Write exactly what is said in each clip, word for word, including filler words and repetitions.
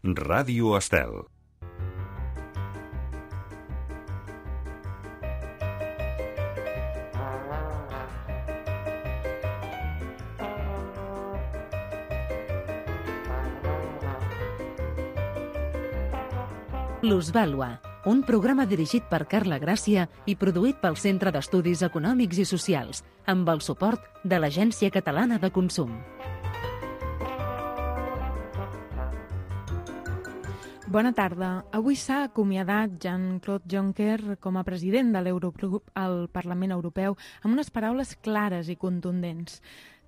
Ràdio Estel. Plusvàlua, un programa dirigit per Carla Gràcia i produït pel Centre d'Estudis Econòmics i Socials, amb el suport de l'Agència Catalana de Consum. Bona tarda. Avui s'ha acomiadat Jean-Claude Juncker com a president de l'Eurogrup al Parlament Europeu amb unes paraules clares i contundents.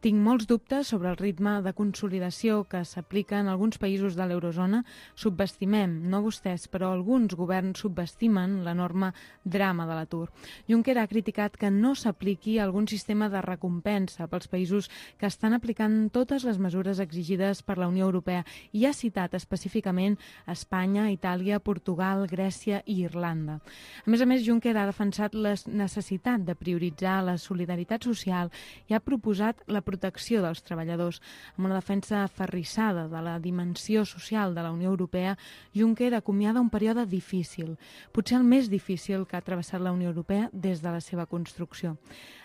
Tinc molts dubtes sobre el ritme de consolidació que s'aplica en alguns països de l'eurozona. Subestimem, no vostès, però alguns governs subestimen l'enorme drama de l'atur. Juncker ha criticat que no s'apliqui algun sistema de recompensa pels països que estan aplicant totes les mesures exigides per la Unió Europea i ha citat específicament Espanya, Itàlia, Portugal, Grècia i Irlanda. A més a més, Juncker ha defensat la necessitat de prioritzar la solidaritat social i ha proposat la protecció dels treballadors. Amb una defensa aferrissada de la dimensió social de la Unió Europea, Juncker acomiada un període difícil, potser el més difícil que ha travessat la Unió Europea des de la seva construcció.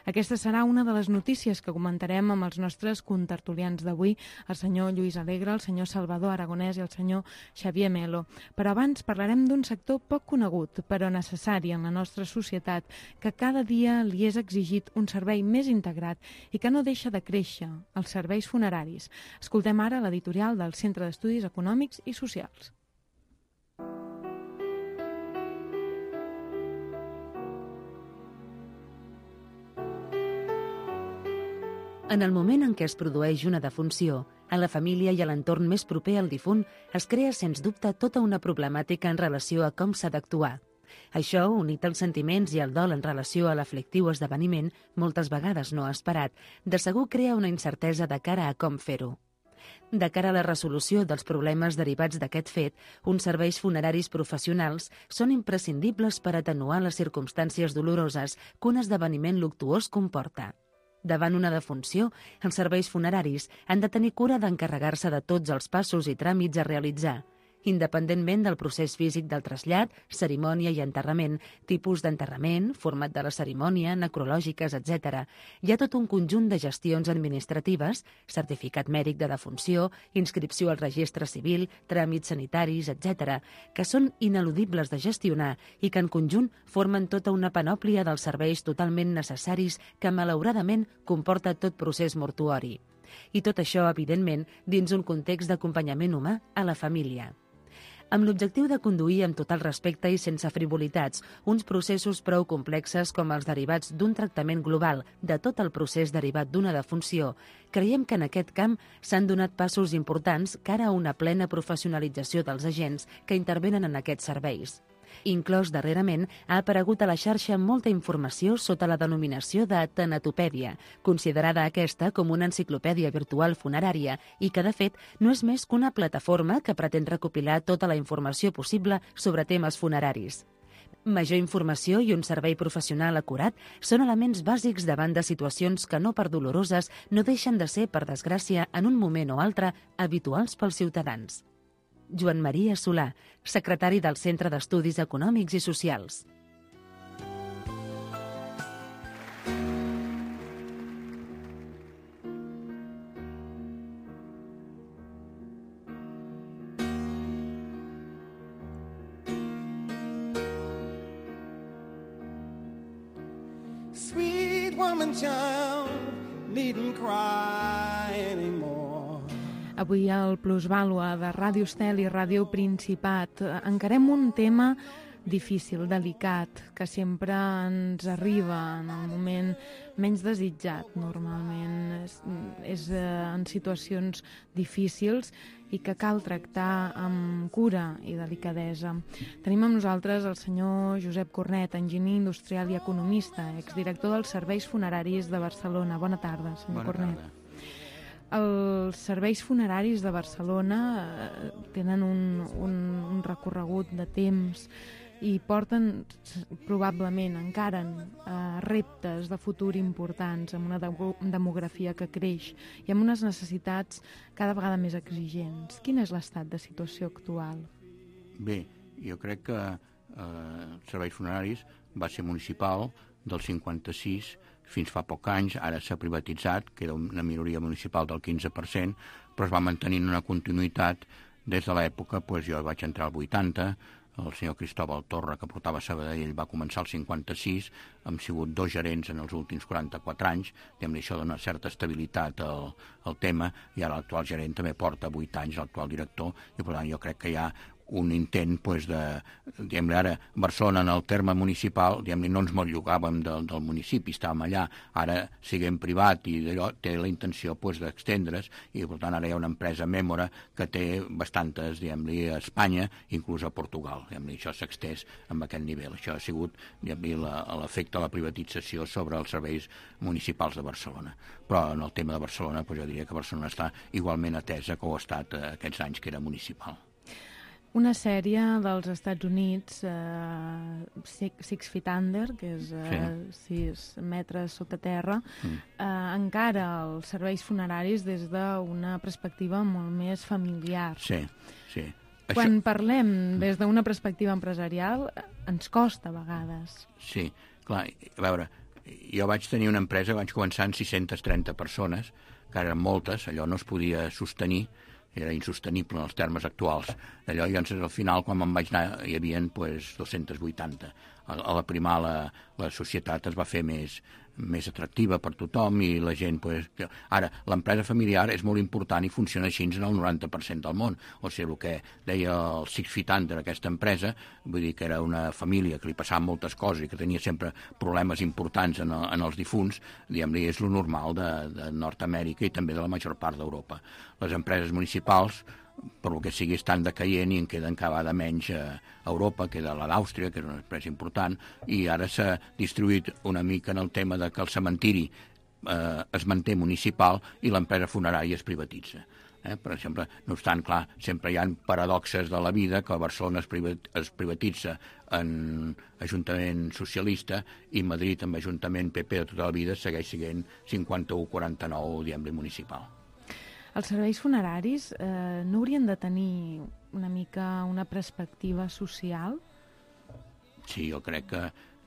Aquesta serà una de les notícies que comentarem amb els nostres contertulians d'avui, el senyor Lluís Alegre, el senyor Salvador Aragonès i el senyor Xavier Melo. Però abans parlarem d'un sector poc conegut, però necessari en la nostra societat, que cada dia li és exigit un servei més integrat i que no deixa de créixer, els serveis funeraris. Escoltem ara l'editorial del Centre d'Estudis Econòmics i Socials. En el moment en què es produeix una defunció, a la família i a l'entorn més proper al difunt es crea, sens dubte, tota una problemàtica en relació a com s'ha d'actuar. Això, unit als sentiments i al dol en relació a l'aflictiu esdeveniment, moltes vegades no esperat, de segur crea una incertesa de cara a com fer-ho. De cara a la resolució dels problemes derivats d'aquest fet, uns serveis funeraris professionals són imprescindibles per atenuar les circumstàncies doloroses que un esdeveniment luctuós comporta. Davant una defunció, els serveis funeraris han de tenir cura d'encarregar-se de tots els passos i tràmits a realitzar, independentment del procés físic del trasllat, cerimònia i enterrament, tipus d'enterrament, format de la cerimònia, necrològiques, etcètera. Hi ha tot un conjunt de gestions administratives, certificat mèdic de defunció, inscripció al registre civil, tràmits sanitaris, etcètera, que són ineludibles de gestionar i que en conjunt formen tota una panòplia dels serveis totalment necessaris que malauradament comporta tot procés mortuori. I tot això, evidentment, dins un context d'acompanyament humà a la família. Amb l'objectiu de conduir amb total respecte i sense frivolitats uns processos prou complexes com els derivats d'un tractament global de tot el procés derivat d'una defunció, creiem que en aquest camp s'han donat passos importants cara a una plena professionalització dels agents que intervenen en aquests serveis. Inclòs darrerament, ha aparegut a la xarxa molta informació sota la denominació de tanatopèdia, considerada aquesta com una enciclopèdia virtual funerària i que, de fet, no és més que una plataforma que pretén recopilar tota la informació possible sobre temes funeraris. Major informació i un servei professional acurat són elements bàsics davant de situacions que, no per doloroses, no deixen de ser, per desgràcia, en un moment o altre, habituals pels ciutadans. Joan Maria Solà, secretari del Centre d'Estudis Econòmics i Socials. Sweet woman child, needn't cry anymore. Avui al Plusvàlua de Ràdio Estel i Ràdio Principat encarem un tema difícil, delicat, que sempre ens arriba en el moment menys desitjat, normalment. És, és en situacions difícils i que cal tractar amb cura i delicadesa. Tenim amb nosaltres el senyor Josep Cornet, enginyer industrial i economista, exdirector dels Serveis Funeraris de Barcelona. Bona tarda, senyor Bona Cornet. tarda. Els serveis funeraris de Barcelona tenen un, un, un recorregut de temps i porten probablement encara eh, reptes de futur importants, amb una de demografia que creix i amb unes necessitats cada vegada més exigents. Quin és l'estat de situació actual? Bé, jo crec que eh, els serveis funeraris va ser municipal del cinquanta-sis fins fa poc anys, ara s'ha privatitzat, que era una minoria municipal del quinze per cent, però es va mantenint una continuïtat des de l'època, doncs jo vaig entrar al vuitanta, el senyor Cristóbal Torra, que portava Sabadell, va començar al cinquanta-sis, hem sigut dos gerents en els últims quaranta-quatre anys, diguem-ne, això dona certa estabilitat al, al tema, i ara l'actual gerent també porta vuit anys, l'actual director, i per tant jo crec que hi ha un intent pues, de, diguem-ne, ara Barcelona en el terme municipal, diguem-ne, no ens mollugàvem del, del municipi, estàvem allà, ara siguem privat i d'allò té la intenció pues, d'extendre's, i per tant ara hi ha una empresa Mèmora que té bastantes, diguem-ne, a Espanya, inclús a Portugal, diguem-ne, això s'ha extès amb aquest nivell. Això ha sigut, diguem-ne, l'efecte de la privatització sobre els serveis municipals de Barcelona. Però en el tema de Barcelona, pues, jo diria que Barcelona està igualment atesa que ho ha estat eh, aquests anys que era municipal. Una sèrie dels Estats Units, eh, Six, Six Feet Under, que és eh, sí. sis metres sota terra, mm. eh, encara els serveis funeraris des d'una perspectiva molt més familiar. Sí, sí. Quan Això... parlem des d'una perspectiva empresarial, ens costa a vegades. Sí, clar, a veure, jo vaig tenir una empresa, vaig començar amb sis-centes trenta persones, que eren moltes, allò no es podia sostenir, era insostenible en els termes actuals. Allò, i llavors, al final, quan me'n vaig anar, hi havia pues, dos-cents vuitanta. A, a la primar, la, la societat es va fer més, més atractiva per tothom i la gent... Pues, que... Ara, l'empresa familiar és molt important i funciona així en el noranta per cent del món. O sigui, el que deia el Six Feet Under, aquesta empresa, vull dir que era una família que li passaven moltes coses i que tenia sempre problemes importants en, el, en els difunts, diguem-ne, és lo normal de, de Nord-Amèrica i també de la major part d'Europa. Les empreses municipals, per el que sigui, estan decaient i en queden cada vegada menys a Europa, queda la d'Àustria, que és una empresa important, i ara s'ha distribuït una mica en el tema de que el cementiri eh, es manté municipal i l'empresa funerària es privatitza. Eh? Per exemple, no obstant, clar, sempre hi ha paradoxes de la vida, que a Barcelona es, privat, es privatitza en Ajuntament socialista i Madrid amb Ajuntament P P de tota la vida segueix sent cinquanta-u quaranta-nou, diguem-ne, municipal. Els serveis funeraris eh, no haurien de tenir una mica una perspectiva social? Sí, jo crec que,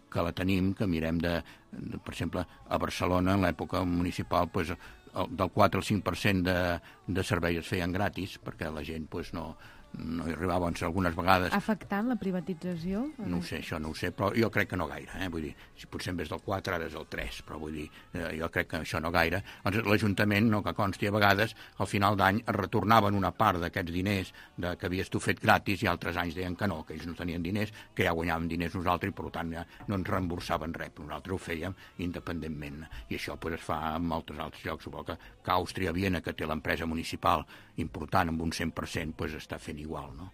que la tenim, que mirem de, de, per exemple, a Barcelona, en l'època municipal, pues, el, del quatre al cinc per cent de, de serveis es feien gratis, perquè la gent pues, no, no hi arribava, doncs, algunes vegades... Ha afectat la privatització? No ho sé, això no ho sé, però jo crec que no gaire, eh? Vull dir, si potser en vez del quatre ara és el tres, però vull dir, eh, jo crec que això no gaire. Doncs l'Ajuntament, no que consti, a vegades, al final d'any es retornaven una part d'aquests diners de, que havies tu fet gratis i altres anys deien que no, que ells no tenien diners, que ja guanyàvem diners nosaltres i per tant ja no ens reemborsaven res, però nosaltres ho fèiem independentment. I això pues, es fa en molts altres llocs, suposo que, que Àustria, Viena, que té l'empresa municipal important amb un cent per cent, pues, està fent igual, no?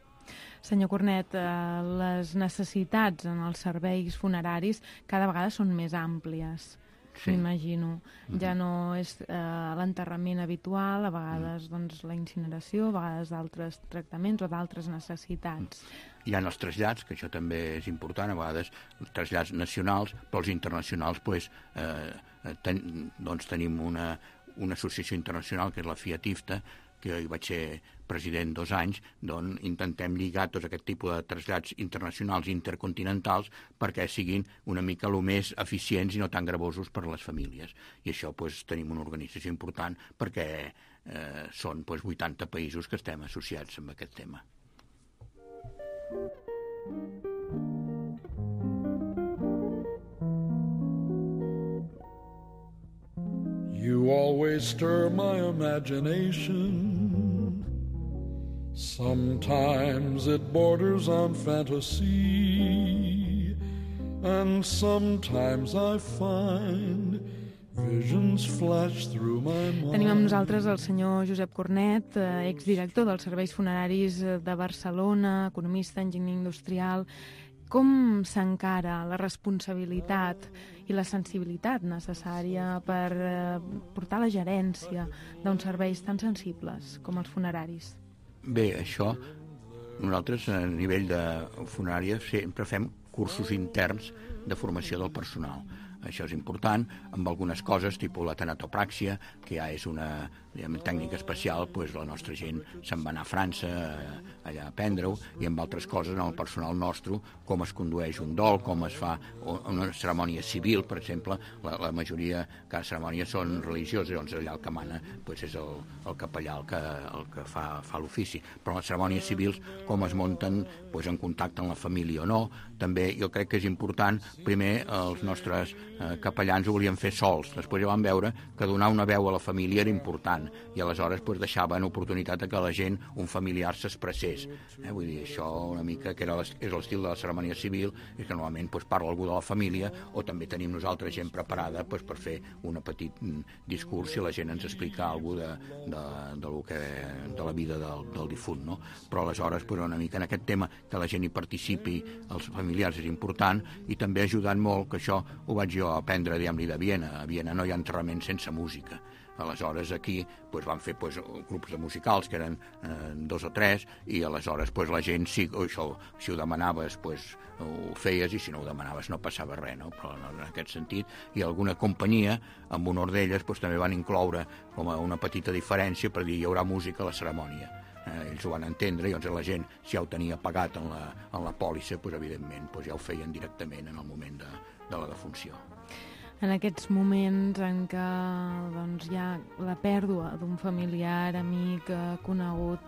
Senyor Cornet, eh, les necessitats en els serveis funeraris cada vegada són més àmplies, sí. M'imagino. Mm-hmm. Ja no és eh, l'enterrament habitual, a vegades mm. doncs, la incineració, a vegades d'altres tractaments o d'altres necessitats. Hi ha els trasllats, que això també és important, a vegades els trasllats nacionals, però els internacionals pues, eh, ten, doncs tenim una, una associació internacional que és la Fiat I F T A, que hi vaig ser president dos anys, d'on intentem lligar tots aquest tipus de trasllats internacionals i intercontinentals perquè siguin una mica el més eficients i no tan gravosos per a les famílies. I això pues, tenim una organització important perquè eh, són pues, vuitanta països que estem associats amb aquest tema. You always stir my imagination. Sometimes it borders on fantasy, and sometimes I find visions flash through my mind. Tenim amb nosaltres el senyor Josep Cornet, exdirector dels Serveis Funeraris de Barcelona, economista, enginyer industrial. Com s'encara la responsabilitat i la sensibilitat necessària per eh, portar la gerència d'uns serveis tan sensibles com els funeraris? Bé, això, nosaltres a nivell de funària sempre fem cursos interns de formació del personal. Això és important, amb algunes coses, tipus la tanatopràxia, que ja és una diguem, tècnica especial, doncs la nostra gent se'n va anar a França allà a aprendre-ho, i amb altres coses en el personal nostre, com es condueix un dol, com es fa una cerimònia civil, per exemple, la, la majoria, cada cerimònia són religioses, doncs allà el que mana doncs és el, el capellà el que, el que fa, fa l'ofici. Però les cerimònies civils, com es munten doncs, en contacte amb la família o no, també jo crec que és important, primer els nostres eh, capellans ho volien fer sols, després ja van veure que donar una veu a la família era important, i aleshores pues, deixaven oportunitat a que la gent, un familiar, s'expressés. Eh? Vull dir, això una mica, que era és l'estil de la cerimònia civil, és que normalment pues, parla algú de la família, o també tenim nosaltres gent preparada pues, per fer un petit discurs si la gent ens explica alguna cosa de, de, de, lo que, de la vida del, del difunt. No? Però aleshores, pues, una mica en aquest tema, que la gent hi participi, els familiars, és important, i també ha ajudat molt, que això ho vaig jo aprendre, diguem-li, de Viena. A Viena no hi ha enterrament sense música. Aleshores aquí pues, van fer pues, grups de musicals que eren eh, dos o tres, i aleshores pues, la gent sí, o això, si ho demanaves pues, ho feies, i si no ho demanaves no passava res, no? Però en aquest sentit, i alguna companyia amb honor d'elles pues, també van incloure com a una petita diferència per dir hi haurà música a la cerimònia. Eh, ells ho van entendre, i llavors la gent, si ja ho tenia pagat en la, en la pòlissa, pues, evidentment pues, ja ho feien directament en el moment de, de la defunció. En aquests moments en què doncs, hi ha la pèrdua d'un familiar, amic, conegut,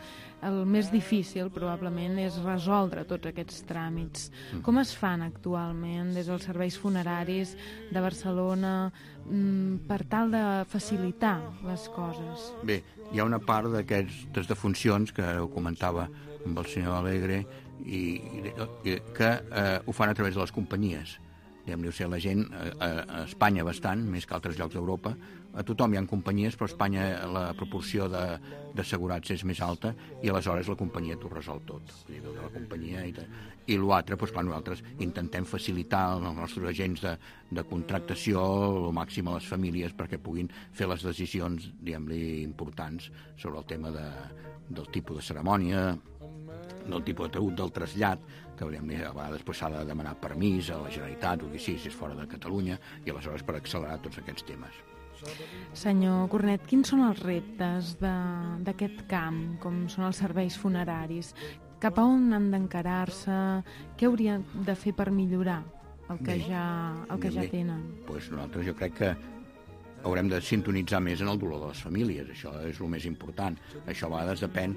el més difícil probablement és resoldre tots aquests tràmits. Mm. Com es fan actualment des dels serveis funeraris de Barcelona mm, per tal de facilitar les coses? Bé, hi ha una part d'aquestes defuncions, que ho comentava amb el senyor Alegre, i, i que eh, ho fan a través de les companyies. Diguem-li, o sigui, la gent a, a Espanya bastant, més que altres llocs d'Europa, a tothom hi ha companyies, però a Espanya la proporció d'assegurats és més alta, i aleshores la companyia t'ho resol tot. Vull dir, la companyia i, i l'altre, doncs clar, nosaltres intentem facilitar els nostres agents de, de contractació el màxim a les famílies perquè puguin fer les decisions, diguem-li, importants sobre el tema de, del tipus de cerimònia, del tipus de taüt, del trasllat, que a vegades s'ha de demanar permís a la Generalitat o que sí, si és fora de Catalunya, i aleshores per accelerar tots aquests temes. Senyor Cornet, quins són els reptes d'aquest camp, com són els serveis funeraris? Cap a on han d'encarar-se? Què haurien de fer per millorar el que, bé, ja, el que bé, ja tenen? Pues nosaltres jo crec que haurem de sintonitzar més en el dolor de les famílies, això és el més important. Això a vegades depèn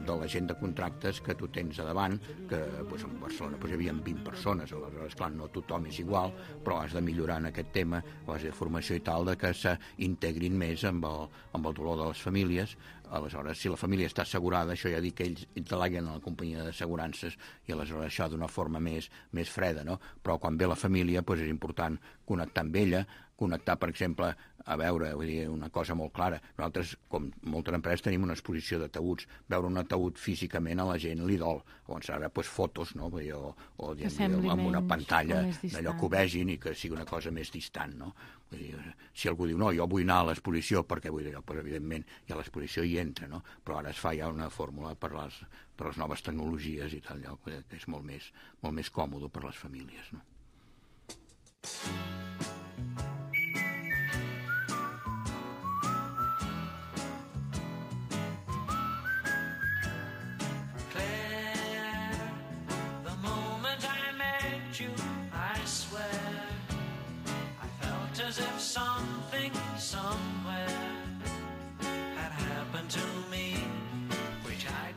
de la gent de contractes que tu tens a davant, que doncs, en Barcelona doncs, hi havia vint persones, aleshores, clar, no tothom és igual, però has de millorar en aquest tema, o has de formació i tal, de que s'integrin més amb el, amb el dolor de les famílies. Aleshores, si la família està assegurada, això ja dic que ells deleguen a la companyia d'assegurances, i aleshores això d'una forma més, més freda, no? Però quan ve la família doncs és important connectar amb ella, connectar, per exemple, a veure, vull dir, una cosa molt clara. Nosaltres, com moltes empreses, tenim una exposició de taüts. Veure un ataúd físicament a la gent li dol. Llavors ara, doncs, fotos, no? Vull dir, o, o diguem, amb una pantalla d'allò que ho vegin i que sigui una cosa més distant, no? Vull dir, si algú diu, no, jo vull anar a l'exposició perquè vull dir, doncs, evidentment, ja l'exposició hi entra, no? Però ara es fa ja una fórmula per les, per les noves tecnologies i tal, que és molt més, molt més còmode per les famílies, no?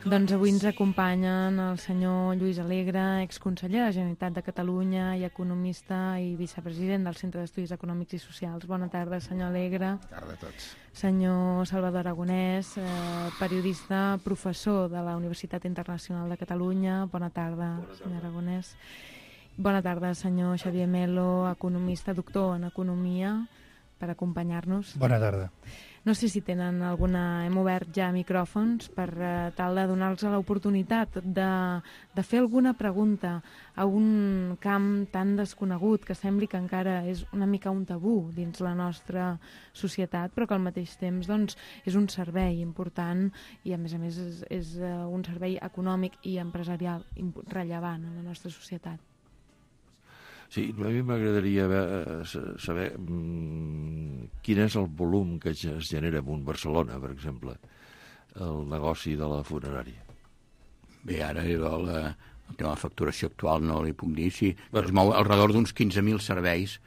Doncs avui ens acompanyen el senyor Lluís Alegre, exconseller de la Generalitat de Catalunya i economista i vicepresident del Centre d'Estudis Econòmics i Socials. Bona tarda, senyor Alegre. Bona tarda a tots. Senyor Salvador Aragonès, eh, periodista, professor de la Universitat Internacional de Catalunya. Bona tarda, Bona tarda. senyor Aragonès. Bona tarda, senyor Xavier Melo, economista, doctor en Economia, per acompanyar-nos. Bona tarda. No sé si tenen alguna... Hem obert ja micròfons per uh, tal de donar-los l'oportunitat de, de fer alguna pregunta a un camp tan desconegut que sembli que encara és una mica un tabú dins la nostra societat, però que al mateix temps doncs, és un servei important i a més a més és, és uh, un servei econòmic i empresarial rellevant en la nostra societat. Sí, a mi m'agradaria saber mmm, quin és el volum que es genera en Barcelona, per exemple, el negoci de la funerària. Bé, ara el, el tema de la facturació actual no li puc dir, sí, però es mou al redor d'uns quinze mil serveis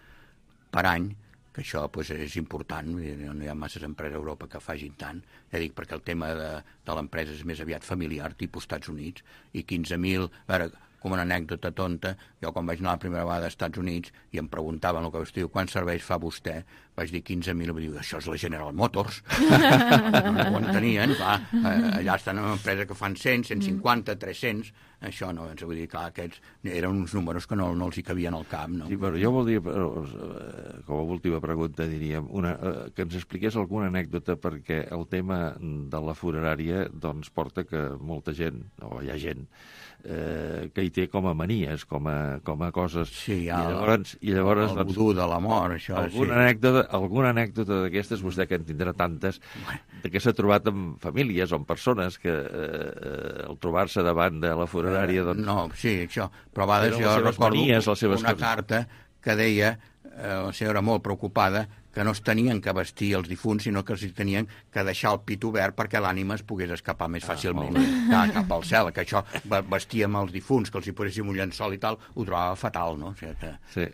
per any, que això pues, és important, no hi ha masses empreses a Europa que facin tant, ja dic, perquè el tema de, de l'empresa és més aviat familiar, tipus Estats Units, i quinze mil, a veure, com una anècdota tonta, jo quan vaig anar la primera vegada als Estats Units i em preguntaven el que vostè diu, quants serveis fa vostè? Vaig dir quinze mil, i vaig dir, això és la General Motors. No, no ho entenien, clar, allà estan en una empresa que fan cent, cent cinquanta, tres-cents, això no, ens vull dir, clar, aquests eren uns números que no, no els hi cabien al cap, no? Sí, però jo voldria, com a última pregunta, diríem, una, que ens expliqués alguna anècdota, perquè el tema de la funerària doncs porta que molta gent, o hi ha gent, Eh, que hi té com a manies, com a, com a coses. Sí, ja, I llavors, i llavors el vudú de la mort, això. Alguna sí. anècdota, alguna anècdota d'aquestes, vostè que en tindrà tantes, de què s'ha trobat amb famílies o amb persones que eh, al trobar-se davant de la funerària... Doncs... No, sí, això. Però a vegades jo recordo manies, les seves una coses. Carta que deia, eh, la senyora molt preocupada, que no es tenien que vestir els difunts, sinó que els tenien que deixar el pit obert perquè l'ànima es pogués escapar més fàcilment ah, cap al cel, que això vestíem els difunts, que els hi poséssim un llençol i tal, ho trobava fatal, no? O sigui que... Sí.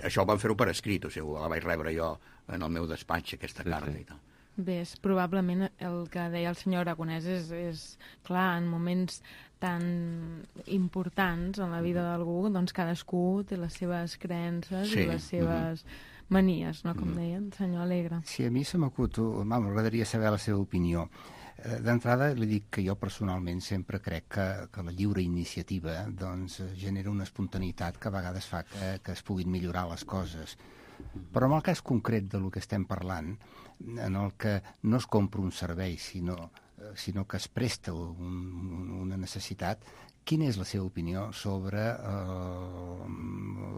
Això ho van fer-ho per escrit, o sigui, la vaig rebre jo en el meu despatx, aquesta sí, carta sí. i tal. Bé, és probablement el que deia el senyor Aragonès és, és clar, en moments tan importants en la vida d'algú, doncs cadascú té les seves creences sí. i les seves mm-hmm. manies, no? Com deia el senyor Alegre. Sí, a mi se m'acut, m'agradaria saber la seva opinió. D'entrada li dic que jo personalment sempre crec que, que la lliure iniciativa doncs, genera una espontaneïtat que a vegades fa que, que es puguin millorar les coses. Però en el cas concret de lo que estem parlant, en el que no es compra un servei, sinó, sinó que es presta un, una necessitat, quina és la seva opinió sobre eh,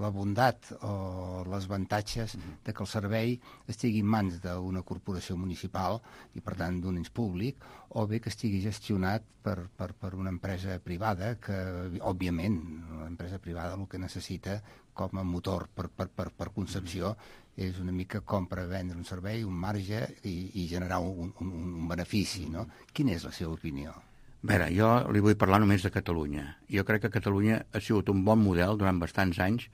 la bondat o els avantatges de que el servei estigui en mans d'una corporació municipal i, per tant, d'un ens públic, o bé que estigui gestionat per, per, per una empresa privada que, òbviament, l'empresa privada el que necessita com a motor per, per, per, per concepció és una mica compra, vendre un servei, un marge i, i generar un, un, un benefici, no? Quina és la seva opinió? A veure, jo li vull parlar només de Catalunya. Jo crec que Catalunya ha sigut un bon model durant bastants anys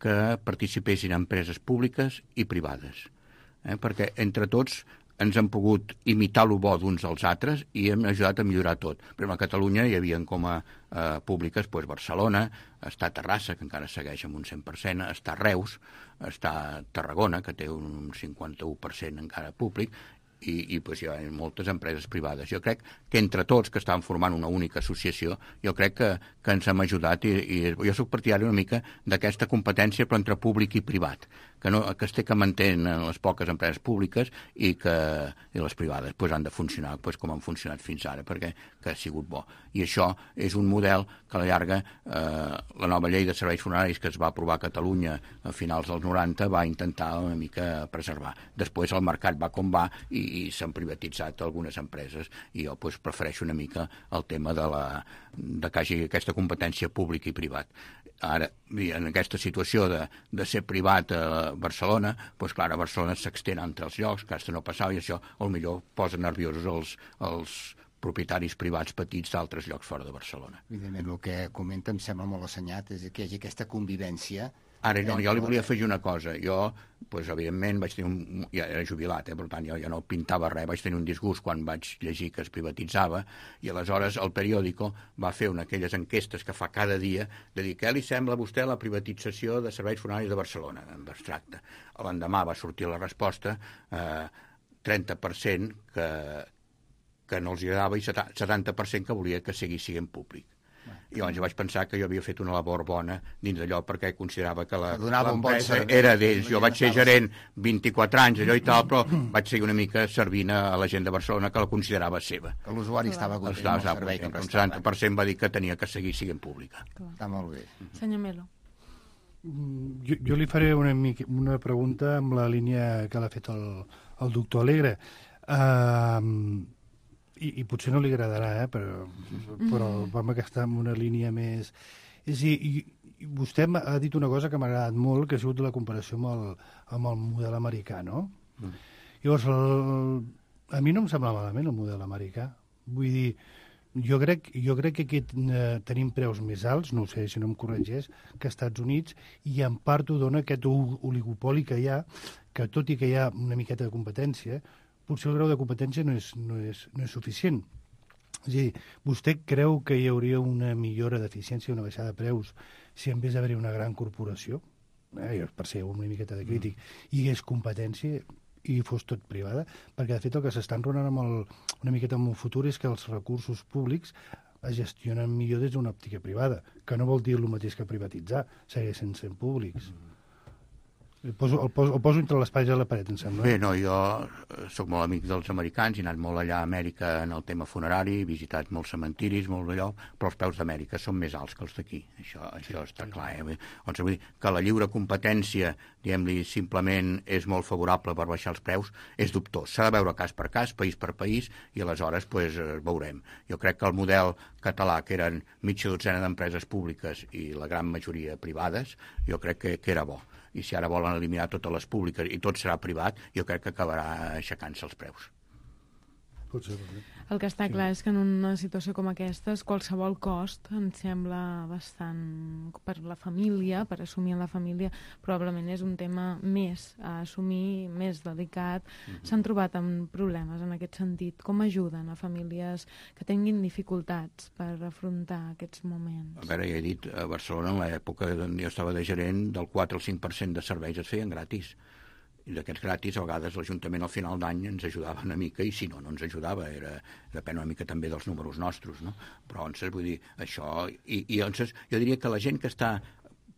que participessin empreses públiques i privades, eh? Perquè entre tots ens han pogut imitar lo bo d'uns als altres i hem ajudat a millorar tot. Per exemple, a Catalunya hi havia com a eh, públiques doncs, Barcelona, està Terrassa, que encara segueix amb un cent per cent, està Reus, està Tarragona, que té un cinquanta-u per cent encara públic, i, i pues, hi ha moltes empreses privades. Jo crec que entre tots, que estan formant una única associació, jo crec que, que ens hem ajudat i, i jo soc partidari una mica d'aquesta competència però entre públic i privat, que, no, que es té que mantenir les poques empreses públiques i que i les privades pues, han de funcionar pues, com han funcionat fins ara, perquè que ha sigut bo. I això és un model que a la llarga eh, la nova llei de serveis funeraris que es va aprovar a Catalunya a finals dels noranta va intentar una mica preservar. Després el mercat va com va i i s'han privatitzat algunes empreses i jo pues, prefereixo una mica el tema de, la, de que hagi aquesta competència pública i privat. Ara, en aquesta situació de, de ser privat a Barcelona, doncs clar, a Barcelona s'extén entre els llocs, que aquesta no passava, i això potser posa nerviosos els, els propietaris privats petits d'altres llocs fora de Barcelona. Evidentment, el que comenta em sembla molt assenyat, és que hi hagi aquesta convivència. Ara, no, jo li volia afegir una cosa. Jo, doncs, evidentment, vaig tenir un... ja era jubilat, eh? Per tant, jo ja no pintava res, vaig tenir un disgust quan vaig llegir que es privatitzava, i aleshores el periòdico va fer una d'aquelles enquestes que fa cada dia de dir què li sembla a vostè la privatització de serveis funeraris de Barcelona, en abstracte. L'endemà va sortir la resposta, eh, trenta per cent que, que no els agradava i setanta per cent que volia que seguís sent públic. I llavors vaig pensar que jo havia fet una labor bona dins d'allò perquè considerava que l'empresa era d'ells. Jo vaig ser gerent vint-i-quatre anys, allò i tal, però vaig seguir una mica servint a la gent de Barcelona que la considerava seva. Que l'usuari estava content amb el servei que prestava. Un setanta per cent va dir que tenia que seguir sent pública. Està molt bé. Senyor Melo. Jo, jo li faré una, mica, una pregunta amb la línia que l'ha fet el, el doctor Alegre. Uh, I, i potser no li agradarà, eh? però, però vam aquesta amb una línia més... És a dir, vostè ha dit una cosa que m'ha agradat molt, que ha sigut la comparació amb el, amb el model americà, no? Mm. Llavors, el, a mi no em sembla malament el model americà. Vull dir, jo crec, jo crec que aquí eh, tenim preus més alts, no ho sé si no em corregeix, que als Estats Units, i en part ho dona aquest oligopoli que hi ha, que tot i que hi ha una miqueta de competència, potser el grau de competència no és, no és, no és suficient. És a dir, vostè creu que hi hauria una millora d'eficiència, una baixada de preus, si en vez d'haver-hi una gran corporació, eh, per ser una miqueta de crític, hi hagués competència i fos tot privada? Perquè, de fet, el que s'està enronant amb el, una miqueta amb el futur és que els recursos públics es gestionen millor des d'una òptica privada, que no vol dir el mateix que privatitzar, segueixen sent públics. El poso, el, poso, el poso entre l'espai i la paret, em sembla. Bé, no, jo sóc molt amic dels americans, he anat molt allà a Amèrica en el tema funerari, he visitat molts cementiris, molt d'allò, però els preus d'Amèrica són més alts que els d'aquí. Això, això sí, està sí, clar. Eh? Doncs, vull dir que la lliure competència, diguem-li, simplement és molt favorable per baixar els preus, és dubtós. S'ha de veure cas per cas, país per país, i aleshores pues, veurem. Jo crec que el model català, que eren mitja dotzena d'empreses públiques i la gran majoria privades, jo crec que, que era bo. I si ara volen eliminar totes les públiques i tot serà privat, jo crec que acabarà aixecant-se els preus. Potser, potser. El que està clar és que en una situació com aquesta qualsevol cost em sembla bastant per la família, per assumir la família, probablement és un tema més a assumir, més delicat. Mm-hmm. S'han trobat amb problemes en aquest sentit. Com ajuden a famílies que tinguin dificultats per afrontar aquests moments? A veure, ja he dit, a Barcelona, en l'època on jo estava de gerent, del quatre al cinc per cent de serveis es feien gratis. I d'aquests gratis, a vegades l'Ajuntament al final d'any ens ajudava una mica, i si no, no ens ajudava. Era, depèn una mica també dels números nostres, no? Però, doncs, vull dir, això... I, i doncs, jo diria que la gent que està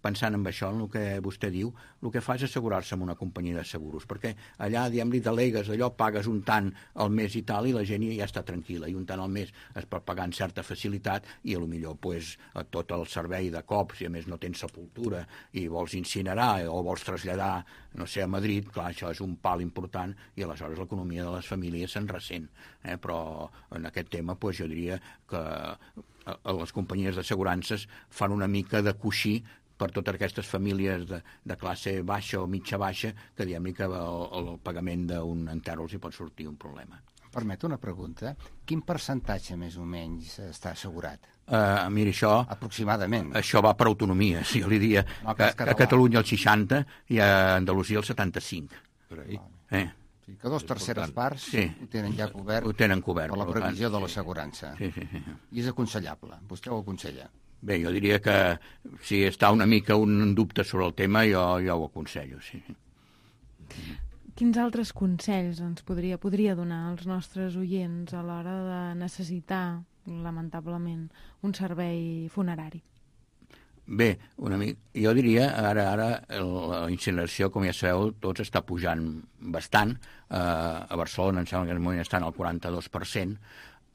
pensant en això, en el que vostè diu, el que fa és assegurar-se amb una companyia de seguros, perquè allà, diguem-li, delegues allò, pagues un tant al mes i tal, i la gent ja està tranquil·la, i un tant al mes es pot pagar amb certa facilitat, i potser pues, tot el servei de cops, i a més no tens sepultura, i vols incinerar o vols traslladar, no sé, a Madrid, clar, això és un pal important, i aleshores l'economia de les famílies se'n ressent. Eh? Però en aquest tema, pues, jo diria que les companyies d'assegurances fan una mica de coixí per totes aquestes famílies de, de classe baixa o mitja baixa, que diguem-li que el, el pagament d'un enter els hi pot sortir un problema. Permet una pregunta? Quin percentatge més o menys està assegurat? Uh, mira, això... Aproximadament. Això va per autonomia. Si jo li diria no, que, que a Catalunya el seixanta i a Andalusia el setanta-cinc. Per ahí. Eh? Sí, que dos terceres parts sí. ho tenen ja cobert, ho tenen cobert per la previsió de l'assegurança. Sí, sí, sí. I és aconsellable. Vostè ho aconsella? Bé, jo diria que si està una mica un dubte sobre el tema, jo, jo ho aconsello, sí. Quins altres consells ens podria, podria donar als nostres oients a l'hora de necessitar, lamentablement, un servei funerari? Bé, una mica, jo diria, ara ara la incineració, com ja sabeu, tots està pujant bastant. Uh, a Barcelona, em sembla que en aquest moment estan al quaranta-dos per cent.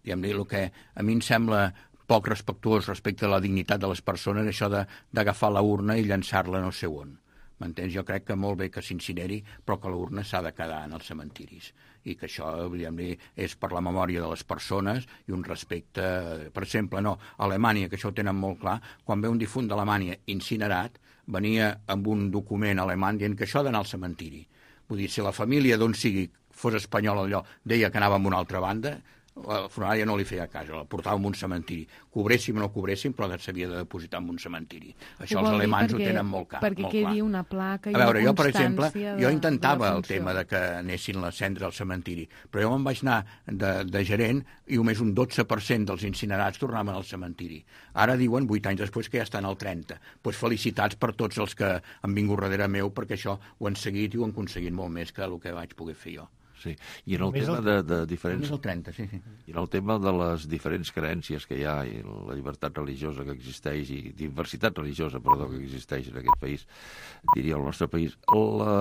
I em dic, el que a mi em sembla poc respectuós respecte a la dignitat de les persones, això d'agafar la urna i llançar-la no sé on. M'entens? Jo crec que molt bé que s'incineri, però que la urna s'ha de quedar en els cementiris. I que això, diguem-li, és per la memòria de les persones i un respecte... Per exemple, no, a Alemanya, que això ho tenen molt clar, quan ve un difunt d'Alemanya incinerat, venia amb un document alemany dient que això ha d'anar al cementiri. Vull dir, si la família d'on sigui fos espanyola allò, deia que anava a una altra banda, la funerària no li feia cas, la portava en un cementiri. Cobréssim o no cobréssim, però s'havia de depositar en un cementiri. Això els alemans perquè, ho tenen molt clar. Perquè molt quedi clar. una placa i a veure, una jo, per exemple, de, jo intentava de el tema de que anessin les cendres al cementiri, però jo me'n vaig anar de, de gerent i només un dotze per cent dels incinerats tornaven al cementiri. Ara diuen, vuit anys després, que ja estan al trenta. Doncs pues felicitats per tots els que han vingut darrere meu, perquè això ho han seguit i ho han aconseguit molt més que el que vaig poder fer jo. Sí, i en el tema el, de, de diferents... el trenta, sí, sí. I en el tema de les diferents creences que hi ha i la llibertat religiosa que existeix i diversitat religiosa, perdó, que existeix en aquest país, diria el nostre país, la,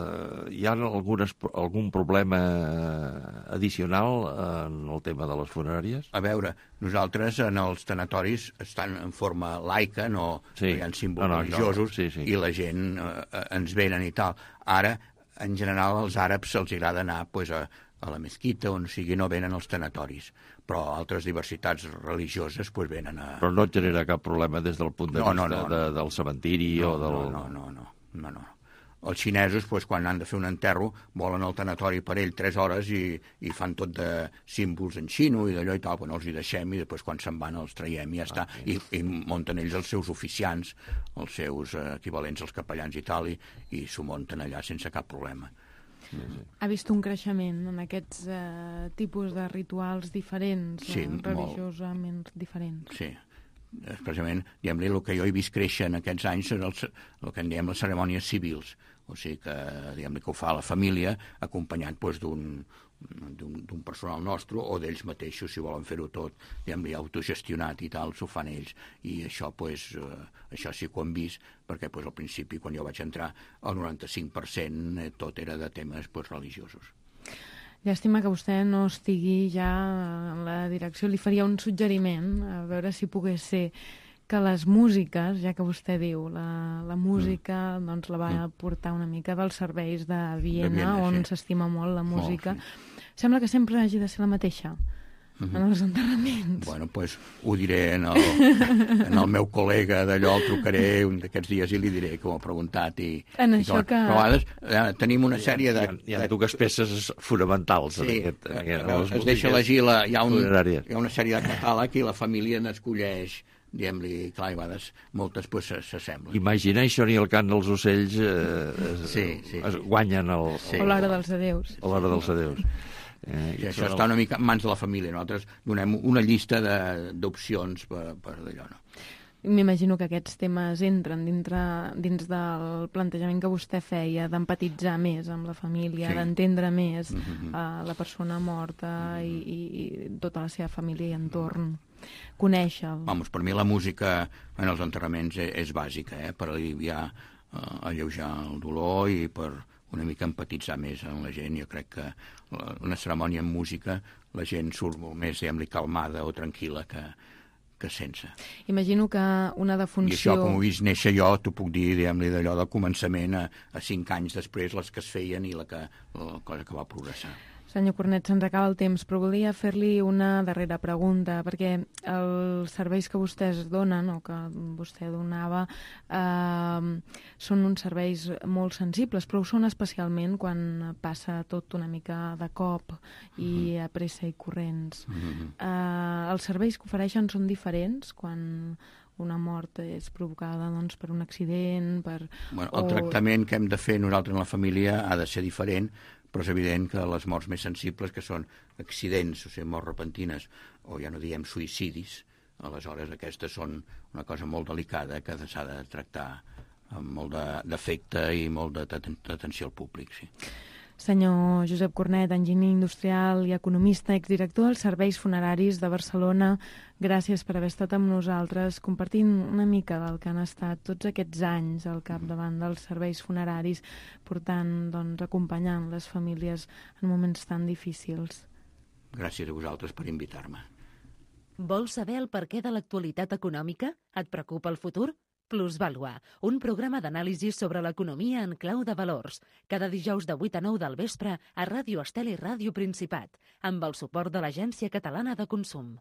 eh, hi ha algunes, algun problema addicional en el tema de les funeràries? A veure, nosaltres en els tanatoris estan en forma laica, no, sí. no hi ha símbols no, no, religiosos, no. Sí, sí. i la gent eh, ens venen i tal. Ara, en general, als àrabs se'ls agrada anar pues, a, a la mesquita, on sigui, no venen als tanatoris. Però altres diversitats religioses pues, venen a... Però no et genera cap problema des del punt de no, vista no, no, de, no. del cementiri no, o del... No, no, no, no, no, no. Els xinesos, pues, quan han de fer un enterro, volen al tanatori per ell tres hores i, i fan tot de símbols en xino i d'allò i tal, bueno, els hi deixem i després quan se'n van els traiem i ja està. I, i munten ells els seus oficiants, els seus eh, equivalents als capellans i tal, i, i s'ho munten allà sense cap problema. Sí, sí. Ha vist un creixement en aquests eh, tipus de rituals diferents, sí, eh, religiosament molt. diferents? Sí, expressament, diguem-li, el que jo he vist créixer en aquests anys és el, el que en diem les cerimònies civils, o sigui que, diguem-li, que ho fa la família acompanyat doncs, d'un d'un personal nostre o d'ells mateixos, si volen fer-ho tot, diguem-li, autogestionat i tal, s'ho fan ells, i això, pues, eh, això sí que ho hem vist, perquè pues, al principi, quan jo vaig entrar, el noranta-cinc per cent eh, tot era de temes pues, religiosos. Llàstima que vostè no estigui ja en la direcció. Li faria un suggeriment, a veure si pogués ser que les músiques, ja que vostè diu, la, la música mm. doncs la va mm. portar una mica dels serveis de Viena, de Viena on s'estima sí. molt la música. Molt, sí. Sembla que sempre hagi de ser la mateixa. Mm-hmm. En els enterraments. Bueno, doncs pues, ho diré en el, en el meu col·lega d'allò, el trucaré un d'aquests dies i li diré que ho ha preguntat. I, en i això que... Però a vegades eh, tenim una sèrie de... Hi ha, hi ha dues peces fonamentals. Sí, en aquest, en aquest, eh, en es deixa elegir, la, hi, ha un, funeràries. hi ha una sèrie de catàleg i la família n'escolleix, diguem-li, clar, i a vegades moltes pues, s'assemblen. Imagination i el cant dels ocells eh, es, sí, sí, es sí. guanyen el, sí. o l'hora dels adeus. O l'hora dels adeus. Eh, I això està una mica en mans de la família. Nosaltres donem una llista d'opcions per, per d'allò, no? M'imagino que aquests temes entren dintre, dins del plantejament que vostè feia d'empatitzar més amb la família, sí. d'entendre més mm-hmm. uh, la persona morta mm-hmm. i, i, i tota la seva família i entorn. Conèixer-lo. Vamos, per mi la música en els enterraments és, és bàsica, eh? Per aliviar, uh, alleujar el dolor i per una mica empatitzar més amb la gent. Jo crec que una cerimònia amb música la gent surt molt més, diguem-li, calmada o tranquil·la que, que sense. Imagino que una defunció... I això, com ho he vist néixer jo, t'ho puc dir, diguem-li, d'allò del començament a, a cinc anys després, les que es feien i la, que, la cosa que va progressar. Senyor Cornet, se'ns acaba el temps, però volia fer-li una darrera pregunta, perquè els serveis que vostès donen, o que vostè donava, eh, són uns serveis molt sensibles, però ho són especialment quan passa tot una mica de cop i a pressa i corrents. Uh-huh. Eh, els serveis que ofereixen són diferents quan una mort és provocada doncs, per un accident, per... Bueno, el o... tractament que hem de fer nosaltres en la família ha de ser diferent, però és evident que les morts més sensibles, que són accidents, o sigui, morts repentines, o ja no diem suïcidis, aleshores aquestes són una cosa molt delicada que s'ha de tractar amb molt d'afecte i molt d'atenció al públic, sí. Senyor Josep Cornet, enginyer industrial i economista, exdirector dels Serveis Funeraris de Barcelona, gràcies per haver estat amb nosaltres compartint una mica del que han estat tots aquests anys al capdavant dels serveis funeraris, portant, doncs, acompanyant les famílies en moments tan difícils. Gràcies a vosaltres per invitar-me. Vols saber el perquè de l'actualitat econòmica? Et preocupa el futur? Plusvàlua, un programa d'anàlisi sobre l'economia en clau de valors, cada dijous de vuit a nou del vespre a Ràdio Estel i Ràdio Principat, amb el suport de l'Agència Catalana de Consum.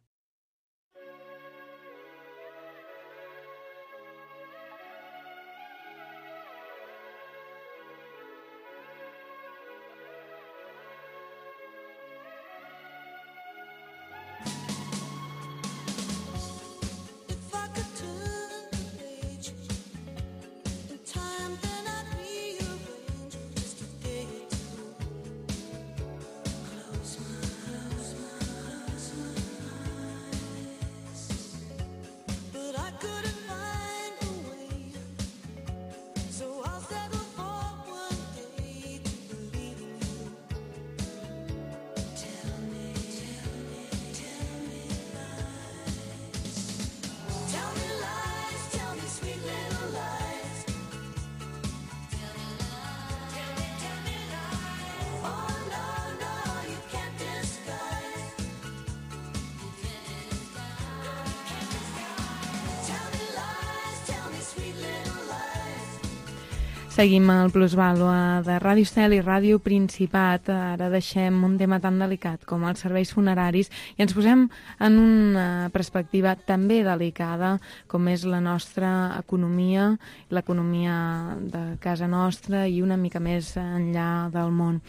Seguim al Plusvàlua de Ràdio Estel i Ràdio Principat. Ara deixem un tema tan delicat com els serveis funeraris i ens posem en una perspectiva també delicada com és la nostra economia, l'economia de casa nostra i una mica més enllà del món.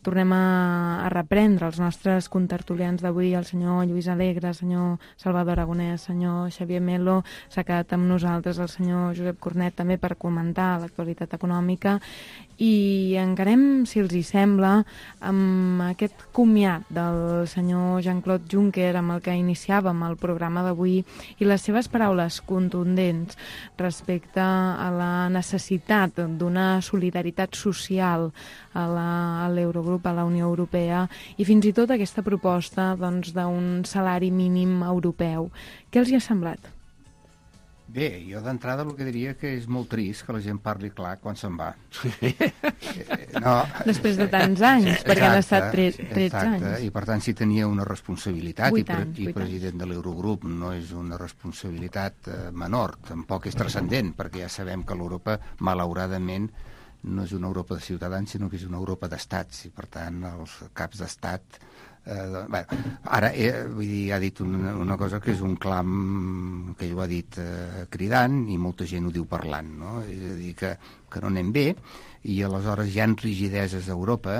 Tornem a, a reprendre els nostres contertulians d'avui, el senyor Lluís Alegre, el senyor Salvador Aragonès, el senyor Xavier Melo, s'ha quedat amb nosaltres el senyor Josep Cornet també per comentar l'actualitat econòmica i encarem, si els hi sembla, amb aquest comiat del senyor Jean-Claude Juncker amb el que iniciàvem el programa d'avui i les seves paraules contundents respecte a la necessitat d'una solidaritat social a l'Eurogrup, a la Unió Europea i fins i tot aquesta proposta doncs, d'un salari mínim europeu. Què els hi ha semblat? Bé, jo d'entrada el que diria que és molt trist que la gent parli clar quan se'n va. No, després de tants anys, exacte, perquè han estat tretze anys. I per tant, si tenia una responsabilitat, i, anys, i president de l'Eurogrup no és una responsabilitat eh, menor, tampoc és transcendent, perquè ja sabem que l'Europa, malauradament, no és una Europa de ciutadans, sinó que és una Europa d'estats, i per tant els caps d'estat... Eh, bé, ara, eh, vull dir, ha dit una, una cosa que és un clam que ell ho ha dit eh, cridant i molta gent ho diu parlant, no? És a dir, que, que no anem bé i aleshores hi ha rigideses a Europa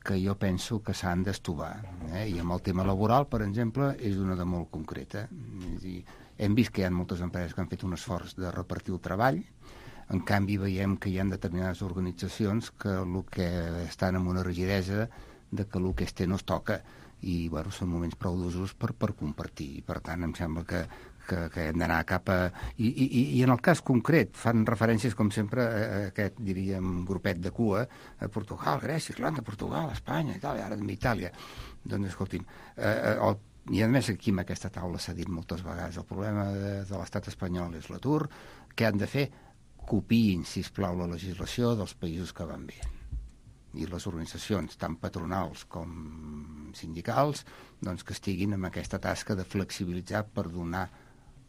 que jo penso que s'han d'estovar. Eh? I amb el tema laboral, per exemple, és una de molt concreta. És a dir, hem vist que hi ha moltes empreses que han fet un esforç de repartir el treball. En canvi, veiem que hi ha determinades organitzacions que el que estan amb una rigidesa de que el que es té no es toca i bueno, són moments prou d'usos per, per compartir. Per tant, em sembla que, que, que hem d'anar cap a... I, i, I en el cas concret fan referències, com sempre, a aquest, diríem, grupet de cua, a Portugal, Grècia, Irlanda, Portugal, Espanya, Itàlia, ara també Itàlia. Doncs, escolti'm, eh, el i a més aquí en aquesta taula s'ha dit moltes vegades el problema de, de l'estat espanyol és l'atur, què han de fer? Copiïn, sisplau, la legislació dels països que van bé. I les organitzacions, tant patronals com sindicals, doncs que estiguin amb aquesta tasca de flexibilitzar per donar,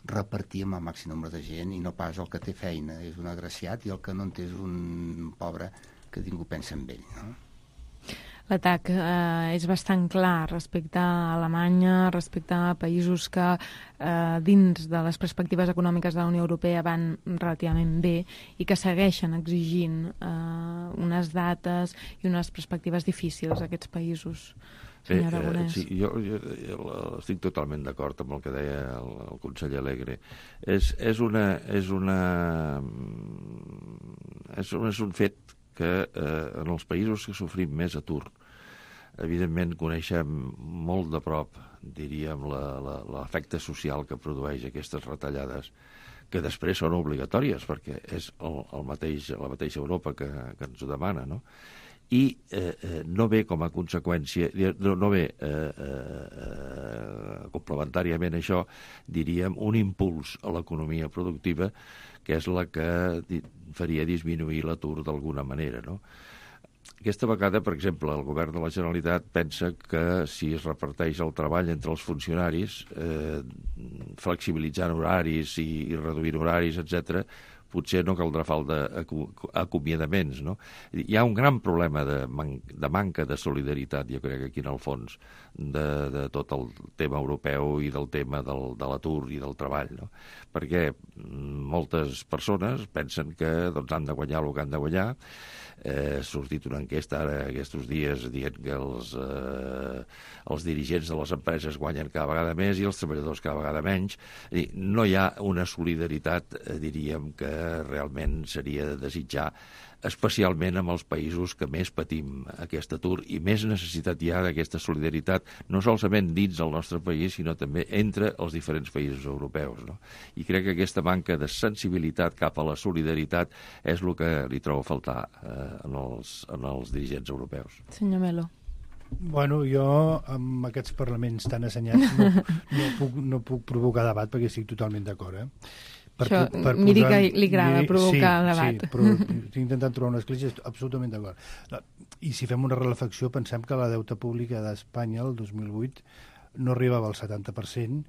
repartir amb el màxim nombre de gent i no pas el que té feina és un agraciat i el que no en té és un pobre que ningú pensa en ell, no? L'atac eh, és bastant clar respecte a Alemanya, respecte a països que eh, dins de les perspectives econòmiques de la Unió Europea van relativament bé i que segueixen exigint eh, unes dates i unes perspectives difícils a aquests països. Bé, eh, sí, jo, jo, jo estic totalment d'acord amb el que deia el, el conseller Alegre. És, és, una, és, una, és, un, és un fet que eh, en els països que sofrim més atur, evidentment coneixem molt de prop, diríem, l'efecte social que produeix aquestes retallades, que després són obligatòries, perquè és el, el mateix, la mateixa Europa que, que ens ho demana, no? I eh, eh, no ve com a conseqüència, no, no ve eh, eh, complementàriament a això, diríem, un impuls a l'economia productiva que és la que faria disminuir l'atur d'alguna manera, no? Aquesta vegada, per exemple, el govern de la Generalitat pensa que si es reparteix el treball entre els funcionaris, eh, flexibilitzant horaris i, i reduint horaris, etcètera, potser no caldrà falta acomiadaments, no? Hi ha un gran problema de, man de manca de solidaritat, jo crec, aquí en el fons, de, de tot el tema europeu i del tema del, de l'atur i del treball, no? Perquè moltes persones pensen que doncs, han de guanyar el que han de guanyar. Eh, ha sortit una enquesta ara aquests dies dient que els, eh, els dirigents de les empreses guanyen cada vegada més i els treballadors cada vegada menys. I no hi ha una solidaritat, eh, diríem, que realment seria de desitjar, especialment amb els països que més patim aquest atur i més necessitat hi ha d'aquesta solidaritat, no solament dins del nostre país, sinó també entre els diferents països europeus, no? I crec que aquesta manca de sensibilitat cap a la solidaritat és el que li trobo a faltar eh, en, els, en els dirigents europeus. Senyor Melo. Bueno, jo amb aquests parlaments tan assenyats no, no, puc, no puc provocar debat perquè estic totalment d'acord, eh? Per, Això, per miri posar, que li agrada miri, provocar sí, debat. Sí, però estic intentant trobar una escletxa, absolutament d'acord. I si fem una reflexió, pensem que la deute pública d'Espanya el dos mil vuit no arribava al setanta per cent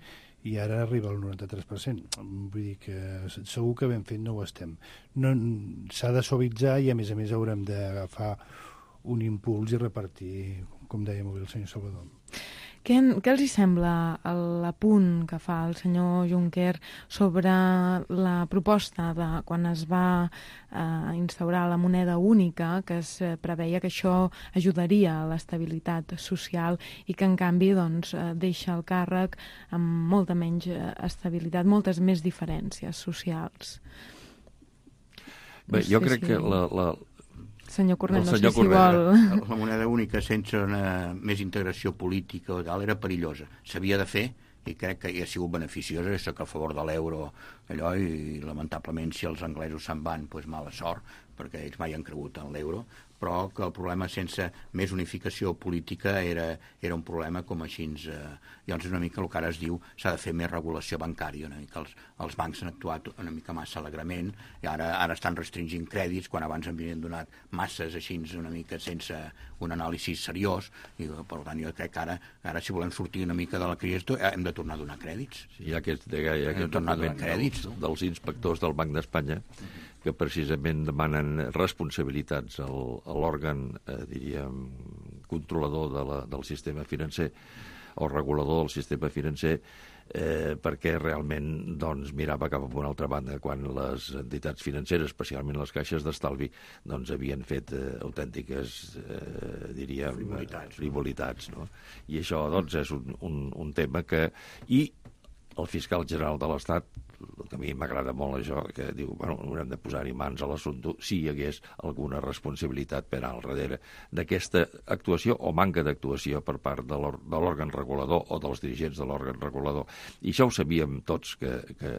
i ara arriba al noranta-tres per cent. Vull dir que segur que ben fet no ho estem. No, s'ha de suavitzar i, a més a més, haurem d'agafar un impuls i repartir, com deia molt bé el senyor Salvador. Què, què els hi sembla l'apunt que fa el senyor Juncker sobre la proposta de quan es va eh, instaurar la moneda única, que es preveia que això ajudaria a l'estabilitat social i que en canvi doncs, deixa el càrrec amb molta menys estabilitat, moltes més diferències socials? Bé, no jo sé crec si... que la... la... Senyor Cornet, no sé si Cornet, vol... La moneda única sense una més integració política o tal era perillosa. S'havia de fer i crec que hi ha sigut beneficiosa. Soc a favor de l'euro allò i lamentablement si els anglesos se'n van, doncs mala sort, perquè ells mai han cregut en l'euro, però que el problema sense més unificació política era, era un problema com així. Eh, llavors una mica el que ara es diu s'ha de fer més regulació bancària, una mica els, els bancs han actuat una mica massa alegrament i ara, ara estan restringint crèdits quan abans en havien donat masses així una mica sense un anàlisi seriós i per tant jo crec que ara, ara si volem sortir una mica de la crisi hem de tornar a donar crèdits. Sí, hi ha aquest, hi ha aquest tornar a donar crèdits dels, dels inspectors del Banc d'Espanya que precisament demanen responsabilitats al, a l'òrgan, eh, diríem, controlador de la, del sistema financer o regulador del sistema financer eh, perquè realment doncs, mirava cap a una altra banda quan les entitats financeres, especialment les caixes d'estalvi, doncs, havien fet eh, autèntiques, eh, diríem, frivolitats, frivolitats no? I això doncs, és un, un, un tema que... I el fiscal general de l'Estat, que a mi m'agrada molt això, que diu, bueno, haurem de posar-hi mans a l'assumpte si hi hagués alguna responsabilitat per al darrere d'aquesta actuació o manca d'actuació per part de l'òrgan regulador o dels dirigents de l'òrgan regulador. I això ho sabíem tots, que, que,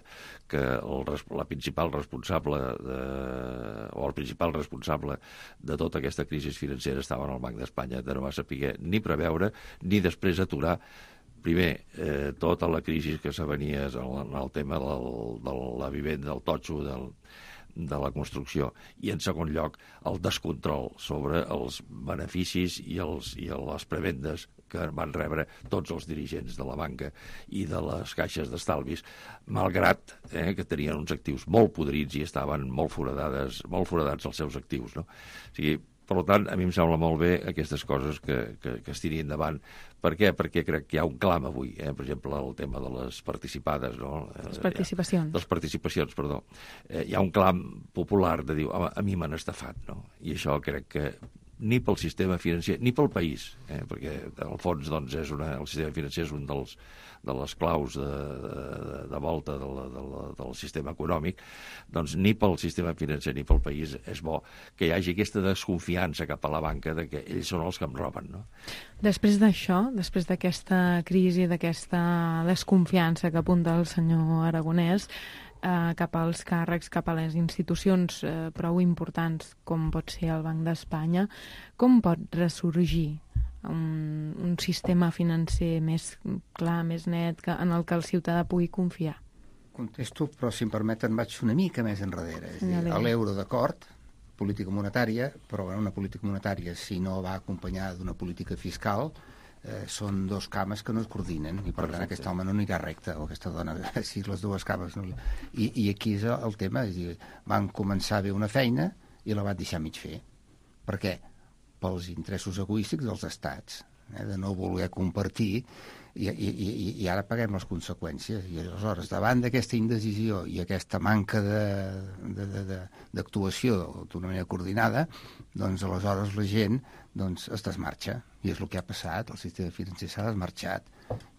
que el, la principal responsable de, o el principal responsable de tota aquesta crisi financera estava en el Banc d'Espanya, de no va saber ni preveure ni després aturar primer, eh, tota la crisi que s'avenia en el tema del, de la vivenda, del totxo, del, de la construcció, i en segon lloc el descontrol sobre els beneficis i, els, i les prebendes que van rebre tots els dirigents de la banca i de les caixes d'estalvis, malgrat eh, que tenien uns actius molt podrits i estaven molt foradades, molt foradats els seus actius, no? O sigui, per tant, a mi em sembla molt bé aquestes coses que, que, que es tiri endavant. Per què? Perquè crec que hi ha un clam avui, eh? Per exemple, el tema de les participades, no? Les participacions. Les participacions, perdó. Eh, hi ha un clam popular de dir, home, a mi m'han estafat, no? I això crec que ni pel sistema financer, ni pel país, eh? Perquè al fons doncs, és una, el sistema financer és un dels, de les claus de, de, de volta de la, de la, del sistema econòmic, doncs ni pel sistema financer ni pel país és bo que hi hagi aquesta desconfiança cap a la banca de que ells són els que em roben, no? Després d'això, després d'aquesta crisi, d'aquesta desconfiança que apunta el senyor Aragonès, Eh, cap als càrrecs, cap a les institucions eh, prou importants com pot ser el Banc d'Espanya, com pot ressorgir un, un sistema financer més clar, més net, que, en el que el ciutadà pugui confiar? Contesto, però si em permeten vaig una mica més enrere. És dir, l'euro d'acord, política monetària, però bueno, una política monetària si no va acompanyada d'una política fiscal Eh, són dos cames que no es coordinen i per Perfecte. Tant aquest home no anirà recte o aquesta dona, si les dues cames no... I, i aquí és el tema, és dir, van començar bé una feina i la van deixar mig fer. Per què? Pels interessos egoístics dels estats, eh, de no voler compartir i, i, i, i ara paguem les conseqüències i aleshores davant d'aquesta indecisió i aquesta manca d'actuació d'una manera coordinada, doncs aleshores la gent doncs es desmarxa, i és el que ha passat, el sistema financer s'ha desmarxat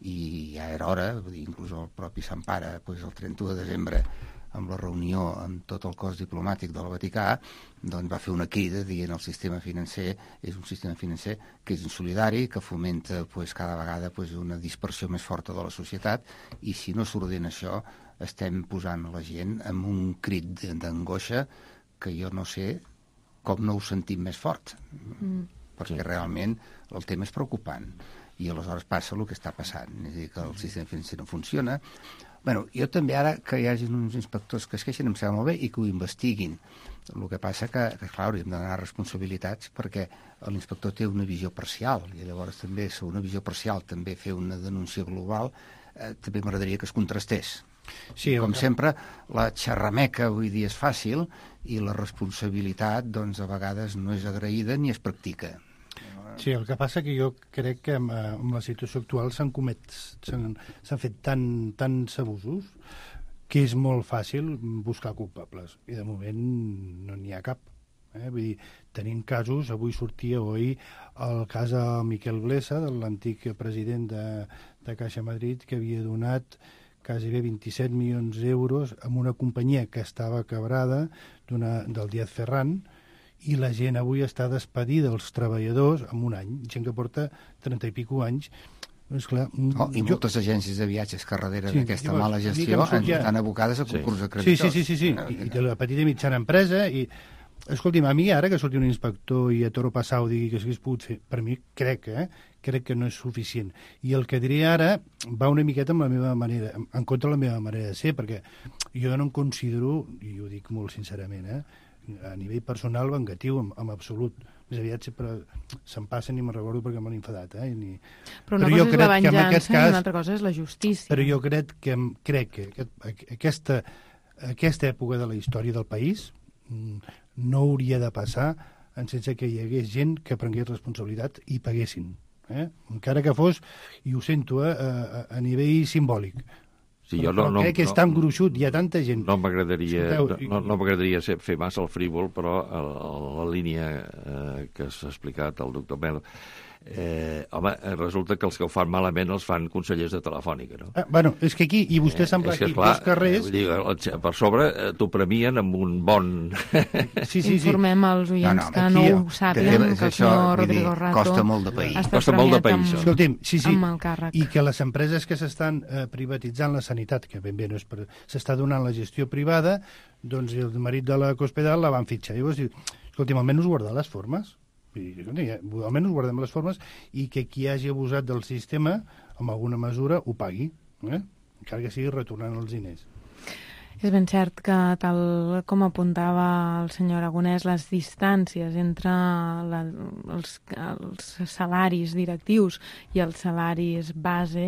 i ja era hora, inclús el propi Sant Pare doncs el trenta-u de desembre amb la reunió amb tot el cos diplomàtic del Vaticà doncs va fer una crida dient el sistema financer és un sistema financer que és insolidari, que fomenta doncs, cada vegada doncs, una dispersió més forta de la societat i si no s'ordena això estem posant la gent amb un crit d'angoixa que jo no sé com no ho sentim més fort. Mm. Perquè sí. Realment el tema és preocupant i aleshores passa el que està passant, és a dir, que el sistema financer no funciona. Bueno, jo també ara que hi hagi uns inspectors que es queixen em sembla molt bé i que ho investiguin. El que passa que, que clar, hauríem de donar responsabilitats perquè l'inspector té una visió parcial i llavors també, sobre una visió parcial, també fer una denúncia global eh, també m'agradaria que es contrastés. Sí, Com que... sempre, la xerrameca avui dia és fàcil i la responsabilitat, doncs, a vegades no és agraïda ni es practica. Sí, el que passa que jo crec que amb, amb la situació actual s'han comet, s'han fet tan, tants abusos que és molt fàcil buscar culpables. I de moment no n'hi ha cap. Eh? Vull dir, tenim casos, avui sortia oi el cas de Miquel Blesa, de l'antic president de, de Caixa Madrid, que havia donat quasi bé vint-i-set milions d'euros a una companyia que estava quebrada del Díaz Ferran, i la gent avui està despedida, els treballadors, en un any, gent que porta trenta i pico anys. És clar, oh, I jo... moltes agències de viatges que darrere sí, d'aquesta mala gestió estan abocades a concurs de sí. creditors. Sí, sí, sí, sí, sí. I de la petita i mitjana empresa, i escolti'm, a mi ara que surti un inspector i a toro passau digui que s'hagués pogut fer, per mi crec, eh, crec que no és suficient. I el que diré ara va una miqueta amb la meva manera, en contra de la meva manera de ser, perquè jo no em considero, i ho dic molt sincerament, eh, a nivell personal vengatiu, en, en absolut. Més aviat sempre se'n passen i me'n recordo perquè m'han enfadat. Eh? Ni... Però una però cosa és la venjança cas, i una altra cosa és la justícia. Però jo crec que, crec que aquest, aquesta, aquesta època de la història del país no hauria de passar sense que hi hagués gent que prengués responsabilitat i paguessin. Eh? Encara que fos, i ho sento, eh, a, a nivell simbòlic. Sí, però, jo no, però no, crec que és no, tan gruixut, hi ha tanta gent. No m'agradaria Escolteu, no, no m'agradaria fer massa el frívol, però a, a la línia eh, que s'ha explicat el doctor Mel, eh, home, resulta que els que ho fan malament els fan consellers de Telefònica, no? Ah, bueno, és que aquí, i vostè sembla eh, aquí, clar, dos carrers... Eh, dir, per sobre eh, t'ho premien amb un bon... Sí, sí, sí. Informem els oients no, no, que no ho sàpiguen, que el senyor Rodrigo Rato costa molt de país. Costa molt de país. Amb, Escolti'm, sí, sí, amb el càrrec. I que les empreses que s'estan eh, privatitzant la sanitat, que ben bé no és per... s'està donant la gestió privada, doncs el marit de la Cospedal la van fitxar. Llavors diu, escolti'm, almenys guardar les formes. I, almenys guardem les formes i que qui hagi abusat del sistema amb alguna mesura ho pagui, eh? Encara que sigui retornant els diners. És ben cert que, tal com apuntava el senyor Aragonès, les distàncies entre la, els, els salaris directius i els salaris base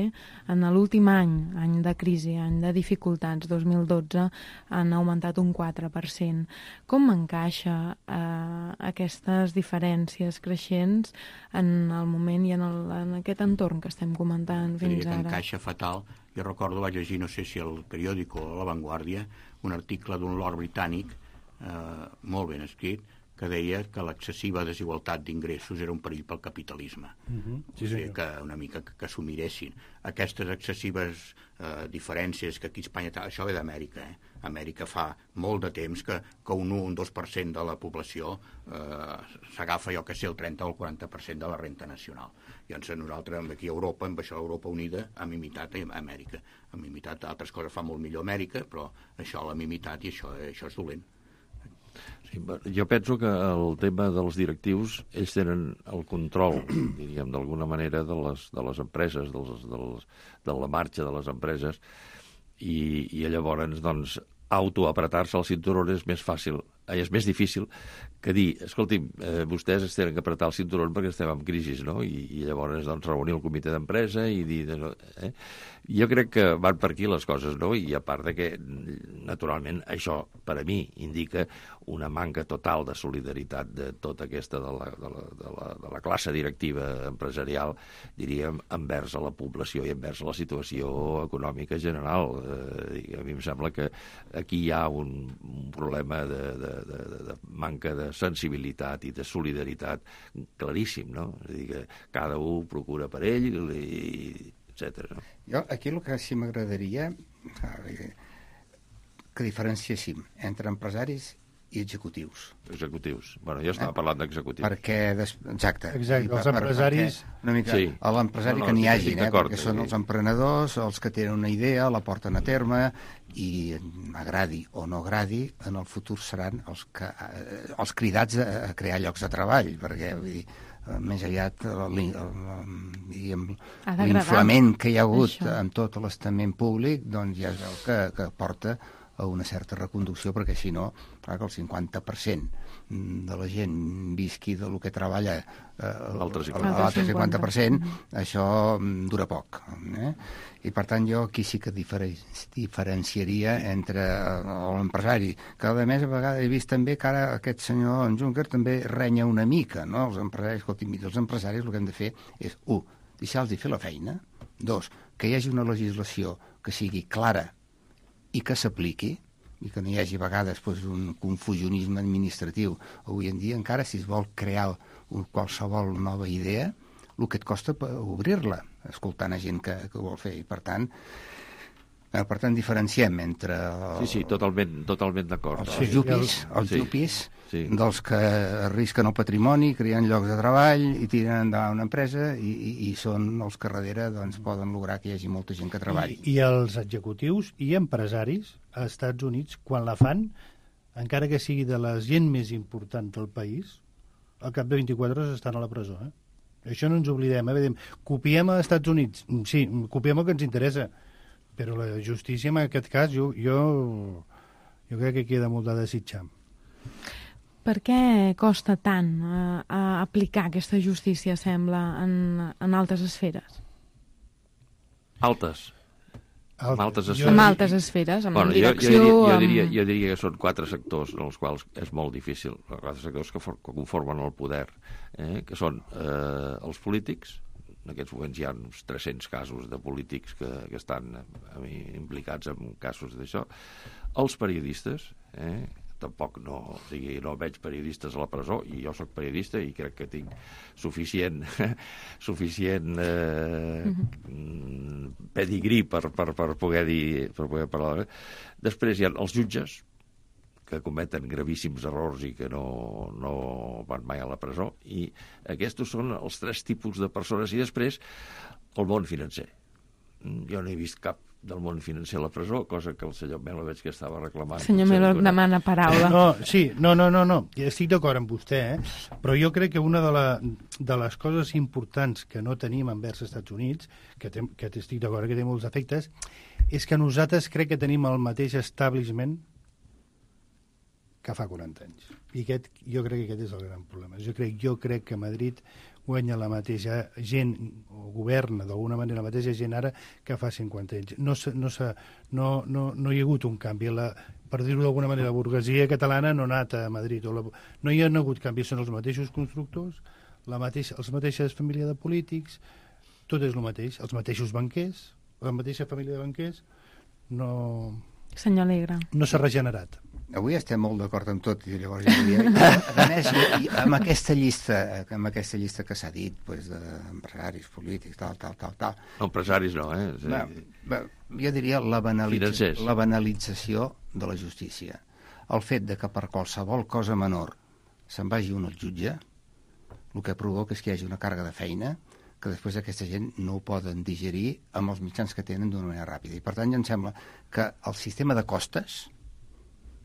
en l'últim any, any de crisi, any de dificultats, dos mil dotze, han augmentat un quatre per cent. Com encaixa eh, aquestes diferències creixents en el moment i en, el, en aquest entorn que estem comentant fins ara? ara? Encaixa fatal. Jo recordo, vaig llegir, no sé si el periòdico o La Vanguardia, un article d'un lord britànic, eh, molt ben escrit, que deia que l'excessiva desigualtat d'ingressos era un perill pel capitalisme. Uh-huh. Sí, o sigui, que una mica que, que s'ho miressin. Aquestes excessives eh, diferències que aquí a Espanya... Això ve d'Amèrica, eh? Amèrica fa molt de temps que, que un un, un dos per cent de la població eh, s'agafa, jo que sé, el trenta o el quaranta per cent de la renta nacional. Llavors nosaltres aquí a Europa, amb això Europa Unida, hem imitat a Amèrica. Hem imitat altres coses, fa molt millor Amèrica, però això l'hem imitat i això, això és dolent. Sí, jo penso que el tema dels directius, ells tenen el control, diríem, d'alguna manera, de les, de les empreses, dels, dels, de la marxa de les empreses, i, i llavors, doncs, autoapretar-se el cinturó és més fàcil, és més difícil que dir, escolti'm, eh, vostès es tenen que apretar el cinturó perquè estem en crisi, no? I, i llavors, doncs, reunir el comitè d'empresa i dir... Eh? Jo crec que van per aquí les coses, no? I a part de que, naturalment, això, per a mi, indica una manca total de solidaritat de tota aquesta, de la, de la, de la, de la classe directiva empresarial, diríem, envers a la població i envers a la situació econòmica general. Eh, a mi em sembla que aquí hi ha un, un problema de, de, de, de manca de sensibilitat i de solidaritat claríssim, no? És a dir, que cada un procura per ell i etcètera. No? Jo aquí el que sí m'agradaria que diferenciéssim entre empresaris i executius. Executius. Bueno, jo estava eh? parlant d'executius. Perquè, des... exacte. Exacte, els empresaris... Una mica sí. a l'empresari no, no, que n'hi hagi, eh? Perquè són els emprenedors, els que tenen una idea, la porten a terme i, agradi o no agradi, en el futur seran els, que, eh, els cridats a, a crear llocs de treball, perquè, vull dir, més aviat l'inflament que hi ha hagut això. En tot l'estament públic, doncs ja es veu que, que porta a una certa reconducció, perquè si no, clar que el cinquanta per cent de la gent visqui del que treballa eh, l'altre cinquanta per cent, això dura poc. Eh? I per tant jo aquí sí que diferenciaria entre l'empresari, que a més a vegades he vist també que ara aquest senyor en Juncker també renya una mica, no? Els empresaris, escolti, els empresaris el que hem de fer és, u, deixar-los fer la feina, dos, que hi hagi una legislació que sigui clara i que s'apliqui, i que no hi hagi a vegades doncs, un confusionisme administratiu. Avui en dia, encara, si es vol crear un, qualsevol nova idea, el que et costa obrir-la, escoltant a gent que, que ho vol fer. I, per tant, eh, per tant, diferenciem entre... El, sí, sí, totalment, totalment d'acord. Els sí, jupis, els sí, jupis sí. dels que arrisquen el patrimoni, creen llocs de treball i tiren endavant una empresa i, i, i són els que darrere doncs, poden lograr que hi hagi molta gent que treballi. I, i els executius i empresaris a Estats Units, quan la fan, encara que sigui de la gent més important del país, al cap de vint-i-quatre hores estan a la presó. Eh? Això no ens oblidem. Eh? Copiem als Estats Units. Sí, copiem el que ens interessa, però la justícia, en aquest cas, jo, jo, jo crec que queda molt de desitjar. Per què costa tant eh, aplicar aquesta justícia, sembla, en, en altres esferes? Altes. Amb altes esferes. Amb altes esferes, amb bueno, direcció... Jo, jo, diria, jo, amb... diria, jo diria que són quatre sectors en els quals és molt difícil, quatre sectors que, for, que conformen el poder, eh, que són eh, els polítics. En aquests moments hi ha uns tres-cents casos de polítics que, que estan a mi, implicats en casos d'això. Els periodistes, eh, tampoc no, o sigui, no veig periodistes a la presó, i jo sóc periodista i crec que tinc suficient suficient eh, mm-hmm. pedigrí per, per, per poder dir, per poder parlar. Després hi ha els jutges, que cometen gravíssims errors i que no, no van mai a la presó, i aquests són els tres tipus de persones. I després el món financer. Jo no he vist cap del món financer a la presó, cosa que el senyor Melo veig que estava reclamant. Senyor Melo demana paraula. No, sí, no, no, no, no. Estic d'acord amb vostè, eh? Però jo crec que una de, la, de les coses importants que no tenim envers els Estats Units, que, té, que estic d'acord que té molts efectes, és que nosaltres crec que tenim el mateix establishment que fa quaranta anys. I aquest, jo crec que aquest és el gran problema. Jo crec, jo crec que Madrid guanya la mateixa gent, o governa d'alguna manera la mateixa gent ara que fa cinquanta anys. No, no, no, no, no hi ha hagut un canvi. La, per dir-ho d'alguna manera, la burguesia catalana no ha anat a Madrid. O la, no hi ha hagut canvis, són els mateixos constructors, la mateixa, els mateixes famílies de polítics, tot és el mateix. Els mateixos banquers, la mateixa família de banquers, no... Senyor Alegre. No s'ha regenerat. Avui estem molt d'acord amb tot, i llavors jo diria, a més, i, amb aquesta llista, amb aquesta llista que s'ha dit, pues, d'empresaris, polítics, tal, tal, tal, tal. No, empresaris no, eh? Sí. Va, va, jo diria la, banalitza, la banalització de la justícia. El fet de que per qualsevol cosa menor se'n vagi un al jutge, el que provoca és que hi hagi una càrrega de feina que després aquesta gent no ho poden digerir amb els mitjans que tenen d'una manera ràpida. I per tant, em sembla que el sistema de costes,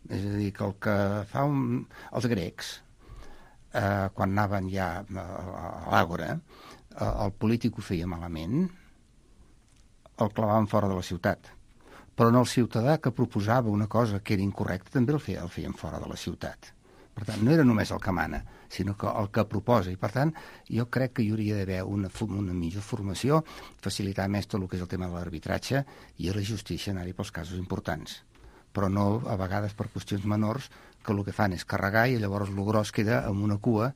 és a dir, que el que fa un, els grecs, eh, quan anaven ja a, a l'àgora, eh, el polític ho feia malament, el clavaven fora de la ciutat. Però no el ciutadà que proposava una cosa que era incorrecta també el feia, el feien fora de la ciutat. Per tant, no era només el que mana, sinó que el que proposa. I, per tant, jo crec que hi hauria d'haver una, una millor formació, facilitar més tot el que és el tema de l'arbitratge i a la justícia anar-hi pels casos importants. Però no, a vegades, per qüestions menors, que el que fan és carregar i llavors el gros queda amb una cua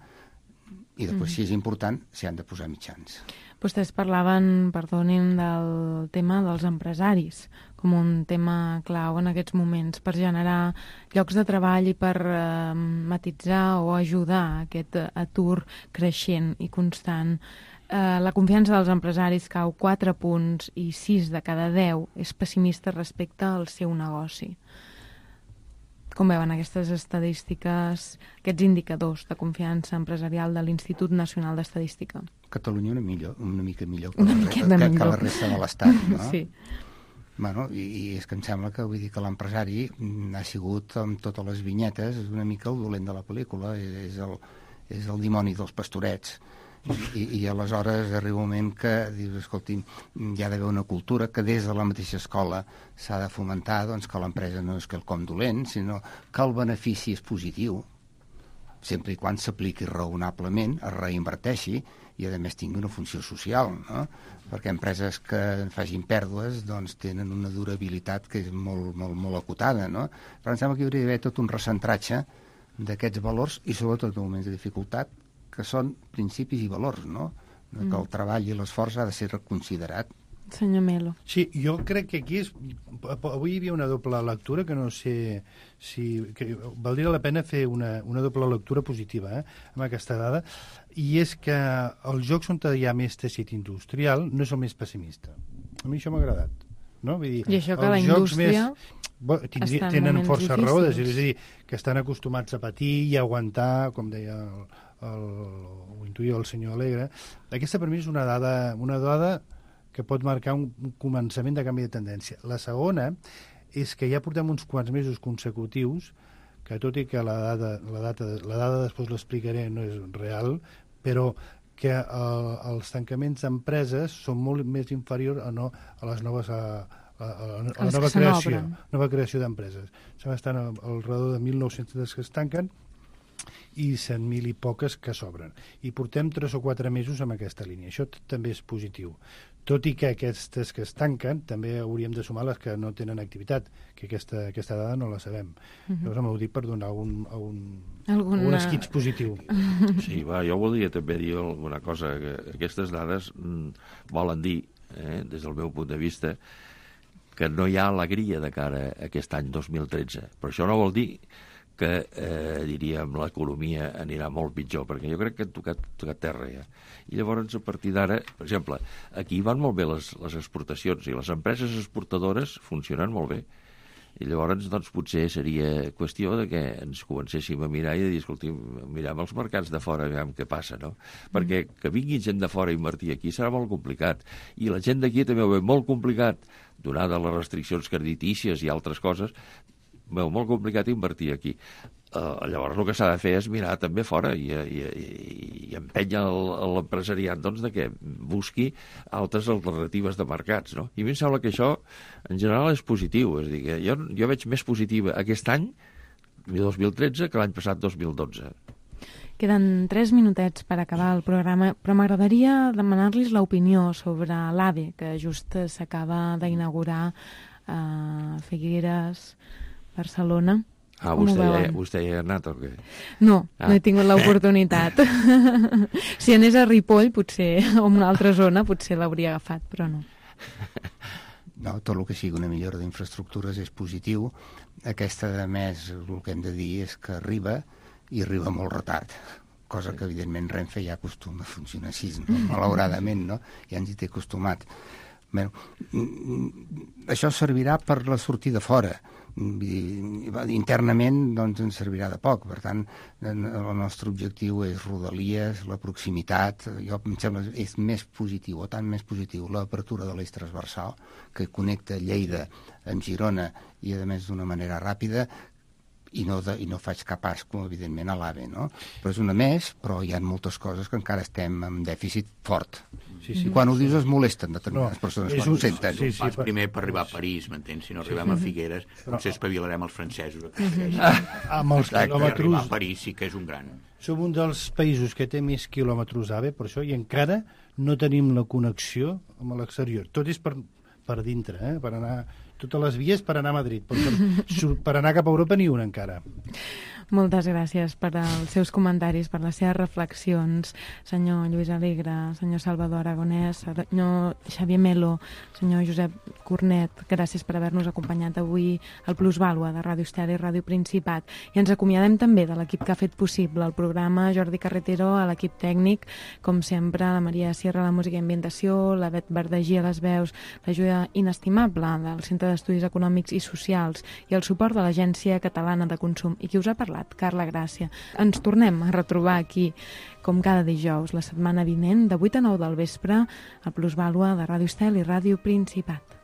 i després, mm. si és important, s'hi han de posar mitjans. Vostès parlaven, perdonin, del tema dels empresaris com un tema clau en aquests moments per generar llocs de treball i per eh, matitzar o ajudar aquest atur creixent i constant. Eh, la confiança dels empresaris cau quatre punts i sis de cada deu és pessimista respecte al seu negoci. Com veuen aquestes estadístiques, aquests indicadors de confiança empresarial de l'Institut Nacional d'Estadística? Catalunya una, millor, una mica millor que, una la, que, que, que la resta de l'Estat, no? Sí. Bueno, i, i és que em sembla que, vull dir, que l'empresari ha sigut amb totes les vinyetes, és una mica el dolent de la pel·lícula, és el, és el dimoni dels pastorets, I, i aleshores arriba un moment que dius, escolti, hi ha d'haver una cultura que des de la mateixa escola s'ha de fomentar, doncs, que l'empresa no és quelcom dolent, sinó que el benefici és positiu, sempre i quan s'apliqui raonablement, es reinverteixi i, a més, tingui una funció social, no? Perquè empreses que facin pèrdues doncs, tenen una durabilitat que és molt, molt, molt acotada, no? Però em sembla que hi hauria d'haver tot un recentratge d'aquests valors i, sobretot, en moments de dificultat, que són principis i valors, no? Que el treball i l'esforç ha de ser reconsiderat. Senyor Melo. Sí, jo crec que aquí és... Avui hi havia una doble lectura que no sé si... Que valdria la pena fer una, una doble lectura positiva, eh, amb aquesta dada, i és que els jocs on hi ha més teixit industrial no és el més pessimista. A mi això m'ha agradat. No? Vull dir, I això que la indústria... Més, bo, tindria, tenen força difícils. raó, és a dir, que estan acostumats a patir i a aguantar, com deia el, el, ho intuïa el senyor Alegre. Aquesta per mi és una dada, una dada que pot marcar un, un començament de canvi de tendència. La segona és que ja portem uns quants mesos consecutius que, tot i que la dada, la data, la dada després l'explicaré, no és real, però que el, els tancaments d'empreses són molt més inferiors a, no, a les noves... A, a, a, a la nova creació, nova creació d'empreses. Estan al, al redor de mil nou-cents que es tanquen i cent mil i poques que s'obren. I portem tres o quatre mesos amb aquesta línia. Això també és positiu. Tot i que aquestes que es tanquen també hauríem de sumar les que no tenen activitat, que aquesta, aquesta dada no la sabem. Uh-huh. Llavors m'ho dic per donar un, un, Alguna... un esquitx positiu. Sí, va, jo voldria també dir alguna cosa, que aquestes dades mm, volen dir, eh, des del meu punt de vista, que no hi ha alegria de cara a aquest any dos mil tretze. Però això no vol dir que, eh, diríem, l'economia anirà molt pitjor, perquè jo crec que han tocat, tocat terra ja. I llavors, a partir d'ara, per exemple, aquí van molt bé les, les exportacions i les empreses exportadores funcionen molt bé. I llavors, doncs, potser seria qüestió de que ens comencéssim a mirar i de dir, escolti, mirem els mercats de fora, veiem què passa, no? Perquè que vingui gent de fora a invertir aquí serà molt complicat. I la gent d'aquí també ho veu molt complicat, donada les restriccions creditícies i altres coses, veu molt complicat invertir aquí. Uh, llavors el que s'ha de fer és mirar també fora i, i, i, i empènyer l'empresariat doncs, de que busqui altres alternatives de mercats, no? I a mi em sembla que això en general és positiu, és a dir, que jo, jo veig més positiva aquest any dos mil tretze que l'any passat dos mil dotze. Queden tres minutets per acabar el programa, però m'agradaria demanar-los l'opinió sobre l'AVE, que just s'acaba d'inaugurar a Figueres, Barcelona. Ah, vostè ja, vostè ja ha anat o què? No, ah. no he tingut l'oportunitat. Si anés a Ripoll, potser, o en una altra zona, potser l'hauria agafat, però no. No, tot el que sigui una millora d'infraestructures és positiu. Aquesta, a més, el que hem de dir és que arriba i arriba molt retard, cosa que, evidentment, Renfe ja acostuma a funcionar així, no? Malauradament, no? Ja ens hi té acostumat. Bé, això servirà per la sortida fora. Internament doncs, ens servirà de poc. Per tant, el nostre objectiu és Rodalies, la proximitat. Jo em sembla és més positiu, o tant més positiu, l'apertura de l'eix transversal, que connecta Lleida amb Girona i, a més, d'una manera ràpida, i no, de, i no faig cap asco, evidentment, a l'AVE, no? Però és una més, però hi ha moltes coses que encara estem amb dèficit fort. Sí, sí. Quan ho dius es molesten determinades no, persones quan un, ho senten. Sí, sí, pas per... primer per arribar a París, m'entens? Si no arribem sí, a Figueres, però... potser espavilarem els francesos. Ah, amb els quilòmetres... Arribar a París sí que és un gran... Som un dels països que té més quilòmetres AVE, per això, i encara no tenim la connexió amb l'exterior. Tot és per, per dintre, eh? Per anar... Totes les vies per anar a Madrid, però per, per anar cap a Europa ni una encara. Moltes gràcies per als seus comentaris, per les seves reflexions, senyor Lluís Alegre, senyor Salvador Aragonès, senyor Xavier Melo, senyor Josep Cornet, gràcies per haver-nos acompanyat avui al Plusvàlua de Ràdio Estel i Ràdio Principat. I ens acomiadem també de l'equip que ha fet possible el programa, Jordi Carretero, a l'equip tècnic, com sempre, la Maria Sierra, la música i ambientació, la Bet Verdagí a les veus, l'ajuda inestimable del Centre d'Estudis Econòmics i Socials i el suport de l'Agència Catalana de Consum. I qui us ha parlat? Carla Gràcia. Ens tornem a retrobar aquí, com cada dijous, la setmana vinent, de vuit a nou del vespre, a Plusvàlua de Ràdio Estel i Ràdio Principat.